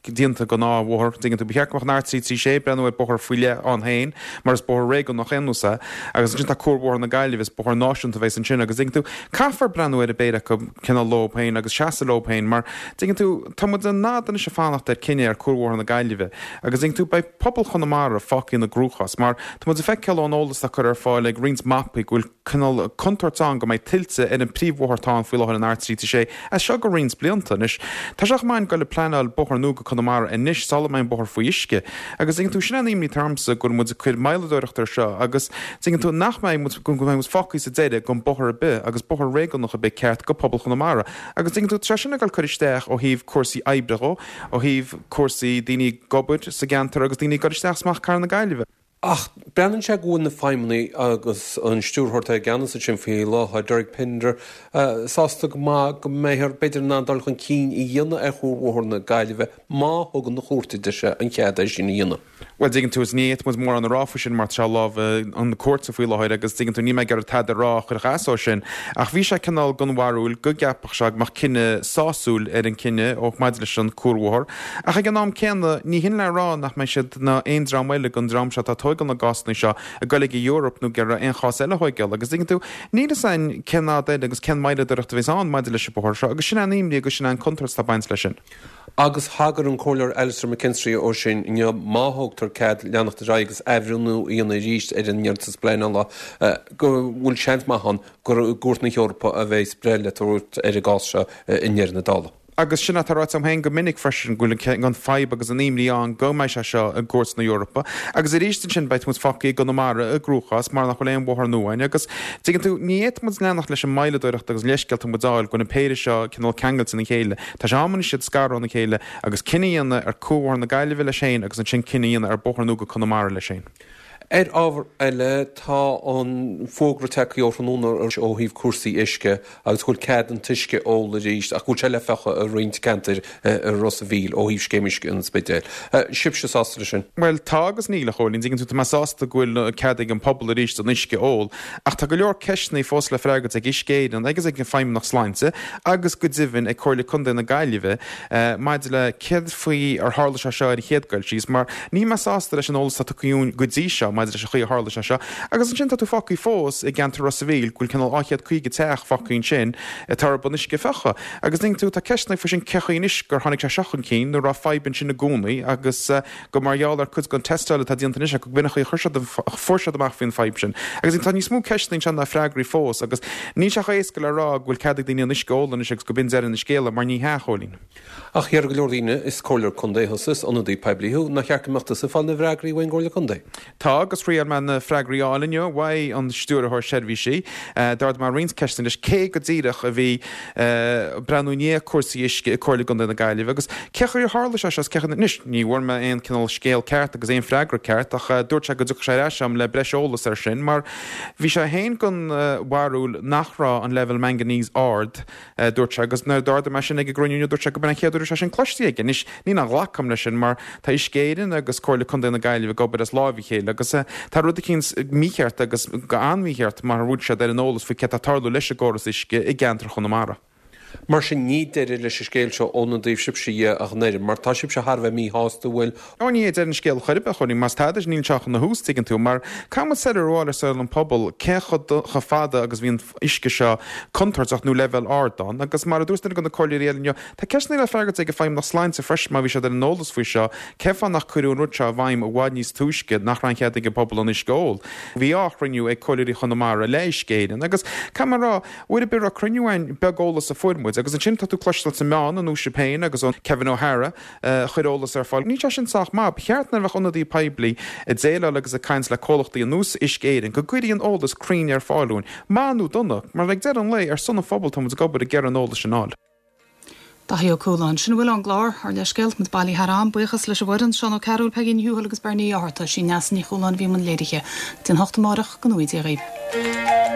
déanta don dá bhóthar. Tuigeann tú, ba cheart go mbeadh an R336 ag breathnú ar bóthar faoi leith ann féin, mar is bóthar réigiúnach aon nós é, agus ansin tá Cuarbhóthar na Gaillimhe, is bóthar náisiúnta a bheas ansin agus, tuigeann tú, caithfear breathnú ar an bpéire acu cineál leo féin agus seasamh leo féin mar, Tuigeann tú, tá muid an fhad anois ag fanacht ar cinneadh ar Cuarbhóthar na Gaillimhe agus tuigeann tú, beidh pobal Chonamara fágtha ina gcruachás mar tá muid ag feiceáil ón eolas atá curtha ar fáil ag roinnt mapaí go bhfuil cineál contúirt ann go mbeidh tuilte ar an príomhbhóthar atá ann faoi láthair an R336 as seo go roinnt blianta. Anois, tá sé chomh maith ag goil ag pleanáil bóthar nua go Conamara anois sula mbeidh an bóthar faoi uisce agus tuigeann tú, sin an imní atá ormsa go bhfuil muid ag cur moilleadóireacht ar seo agus tuigeann tú nach mbeidh muid, go mbeidh muid fágtha sa deireadh gan bóthar ar bith agus bóthar réigiúnach ar bith ceart go pobal Chonamara. Agus tuigeann tú, tá sé sin ag dul cur isteach ó thaobh cúrsaí oibre dhó, ó thaobh cúrsaí daoine ag obair sa gceantar agus daoine ag dul isteach is amach Cathair na Gaillimhe. Ach breathnaíonn sé go bhfuil na feidhmeannaigh agus an stiúrthóir atá i gceannas ansin faoi láthair, Derek Pinder, sásta go maith go mbeifear b'fhéidir in ann dul chun cinn a dhéanamh ar Chuarbhóthar na Gaillimhe má thugann an chúirt, a deir sé, an cead é sin a dhéanamh. Bhuel, dtuigeann tú, is ní fhéadfadh muid mórán a rá faoi sin mar tá sé i lámha na cúirte faoi láthair agus dtuigeann tú, níl mé ag iarraidh tada a rá a chuirfeadh as dó sin. Ach bhí sé cineál den bharúil go gceapfadh sé go mbeadh cinneadh sásúil ar an cinneadh ó maidir leis an cuarbhóthar. Ach ag an am céanna, ní hin le rá nach mbeidh siad ná aon dream eile den dream seo atá ag tóigeáil na gcásanna seo ag goil ag an Eoraip nó ag iarraidh aon chás eile a thóigeáil. Agus dtuigeann tú, níl fhios a'inn cén fhad eile agus cén moilleadóireacht a bheas ann maidir leis an bóthar seo agus sin é an imní agus sin é an contúirt atá ag baint leis sin. Agus thagair an Comhairleoir Alastair McKinstry ó sin inniu má thugtar cead leanacht ar aghaidh agus athbhreithniú a dhéanamh arís ar an iarratas pleanála go bhfuil seans maith ann gur i gCúirt na hEorpa a bheas breith le tabhairt ar an gcás seo i ndeireadh na dála. Agus sin atá ráite agam féin go minic freisin, go bhfuil an fadhb agus an imní ann go mbeidh sé seo i gcúirt na hEorpa. Agus arís ansin beidh muid fágtha i gConamara i gcruachás mar nach bhfuil aon bhóthar nua againn. Agus, tuigeann tú, ní fhéadfadh muid leanacht leis an moilleadóireacht agus leithscéalta muid a fháil go bhfuil an péire seo cineál ceangailte ina chéile. Tá sé am anois iad a scaradh óna chéile agus cinneadh a dhéanamh ar Cuarbhóthar na Gaillimhe leis féin agus ansin cinneadh a dhéanamh ar bóthar nua go Conamara leis féin. Ar ábhar eile, tá an fógra tagtha ó thráthnóna ó thaobh cúrsaí uisce agus go bhfuil cead an t-uisce a ól arís ach go bhfuil sé le fiuchadh i roinnt ceantair i Ros a' Mhíl ó thaobh Scéim Uisce an Spidéil. Sibhse sásta leis sin? Bhuel, tá agus níl, a Chóilín. Tuigeann tú, tá mé sásta go bhfuil cead ag an pobal arís an uisce a ól ach tá go leor ceisteanna fós le freagairt ag Uisce Éireann agus ag an Feidhmeannacht Sláinte agus go deimhin ag Comhairle Contae na Gaillimhe maidir le céard faoi ar tharla sé seo ar an chéad dul síos, mar níl mé sásta leis an eolas atá tugtha dhúinn go dtí seo maidir leis an chaoi a tharla sé seo. Agus ansin tá tú fágtha fós i gceantar Ros a' Mhíl, go bhfuil cineál 250 teach fágtha ansin atá ar an uisce a fiuchadh. Agus tuigeann tú, tá ceisteanna faoi sin cén chaoi anois gur tháinig sé seo chun cinn nuair a raibh fadhb ansin i gcónaí agus gur mar gheall ar cuid den tástáil atá déanta anois acu go b'in an chaoi a chuir siad an, fuair siad amach faoin fadhb sin. Agus tá níos mó ceisteanna anseo ná freagraí fós agus níl sé chomh éasca le rá go bhfuil cead ag daoine an uisce a ól anois agus go b'in deireadh na scéala mar ní hea, a Chóilín. Ach déarfadh go leor daoine, is comhairleoir contae thusa, is ionadaí poiblí thú, nár cheart go mbeadh tusa ag fáil na bhfreagraí uain gComhairle Contae? Tá, agus thriail mé na freagraí a fháil inniu uaidh an Stiúrthóir Seirbhísí. D'ardaigh mé roinnt ceisteanna leis, cé go díreach a bhí ag breathnú i ndiaidh cúrsaí uisce i Comhairle Contae na Gaillimhe agus cé chaoi ar tharla sé seo is cé chaoi, anois, ní bhfuair mé aon cineál scéal ceart agus aon freagra ceart ach dúirt sé go dtiocfadh sé ar ais agam le breis eolas ar sin mar bhí sé féin den bharúil nach raibh an leibhéal manganese ard dúirt sé, agus nuair a d'ardaigh mé sin ag an gcruinniú inniu, dúirt sé go b'in an chéad uair a raibh sé sin cloiste aige. Anois, ní nach nglacaim leis sin, mar tá Uisce Éireann agus Comhairle Contae na Gaillimhe ag obair as láimh a chéile, agus tá rud eicínt mícheart agus go an-mhícheart mar a bhfuil siad ar an eolas faoi céard tá ag tarlú leis an gcóras uisce i gceantar Chonamara. Mar sin, ní deireadh leis an scéal seo óna dtaobh sibhse dhe ach an oiread, mar tá sibhse thar a bheith míshásta, bhfuil? Ó ní hé deireadh an scéil chor ar bith, a Chóilín, más tada níl seo ach ina thús, tuigeann tú, mar caithfidh muid soiléiriú a fháil ar saol an pobal cé chomh fada agus bhí an uisce seo contúirteach nó leibhéal ard ann. Agus mar a dúirt duine de na comhairleoirí eile inniu, tá ceisteanna le freagairt ag an Feidhmeannacht Sláinte freisin má bhí siad ar an eolas faoi seo, cén fáth nach cuireadh an rud seo i bhfeidhm i bhfad níos túisce, nach raibh an chead ag an bpobal an uisce a ól. Bhí á chruinniú ag comhairleoirí Chonamara le Uisce Éireann agus caithfidh mé a rá, uair ar bith a raibh cruinniú ann beag eolas a fuair muid agus ansin tá tú cloisteáil sna meáin an uair féin agus ó Kevin O'Hara, a chuir eolas ar fáil. Níl sé sin sách maith. Ba cheart nuair a bheadh ionadaí poiblí ag déileáil agus ag caint le comhlachtaí ar nós Uisce Éireann go gcuirfí an eolas cruinn ar fáil dúinn, maith nó dona, mar ag deireadh an lae, ar son an phobail tá muid ag obair ag iarraidh an eolas sin a fháil. Daithí Ó Cualáin. Sin a bhfuil ón gclár, ár leithscéal, muid bailithe thar am. Buíochas leis an bhfoireann, Seán Ó Cearúil, Peigí Ní Thuathail agus Beirní Ó Fátharta. Sí Neasa Ní Chualáin a bhí i mbun léirithe. Go dtí an hocht amárach, go ngnóthaí Dia dhaoibh.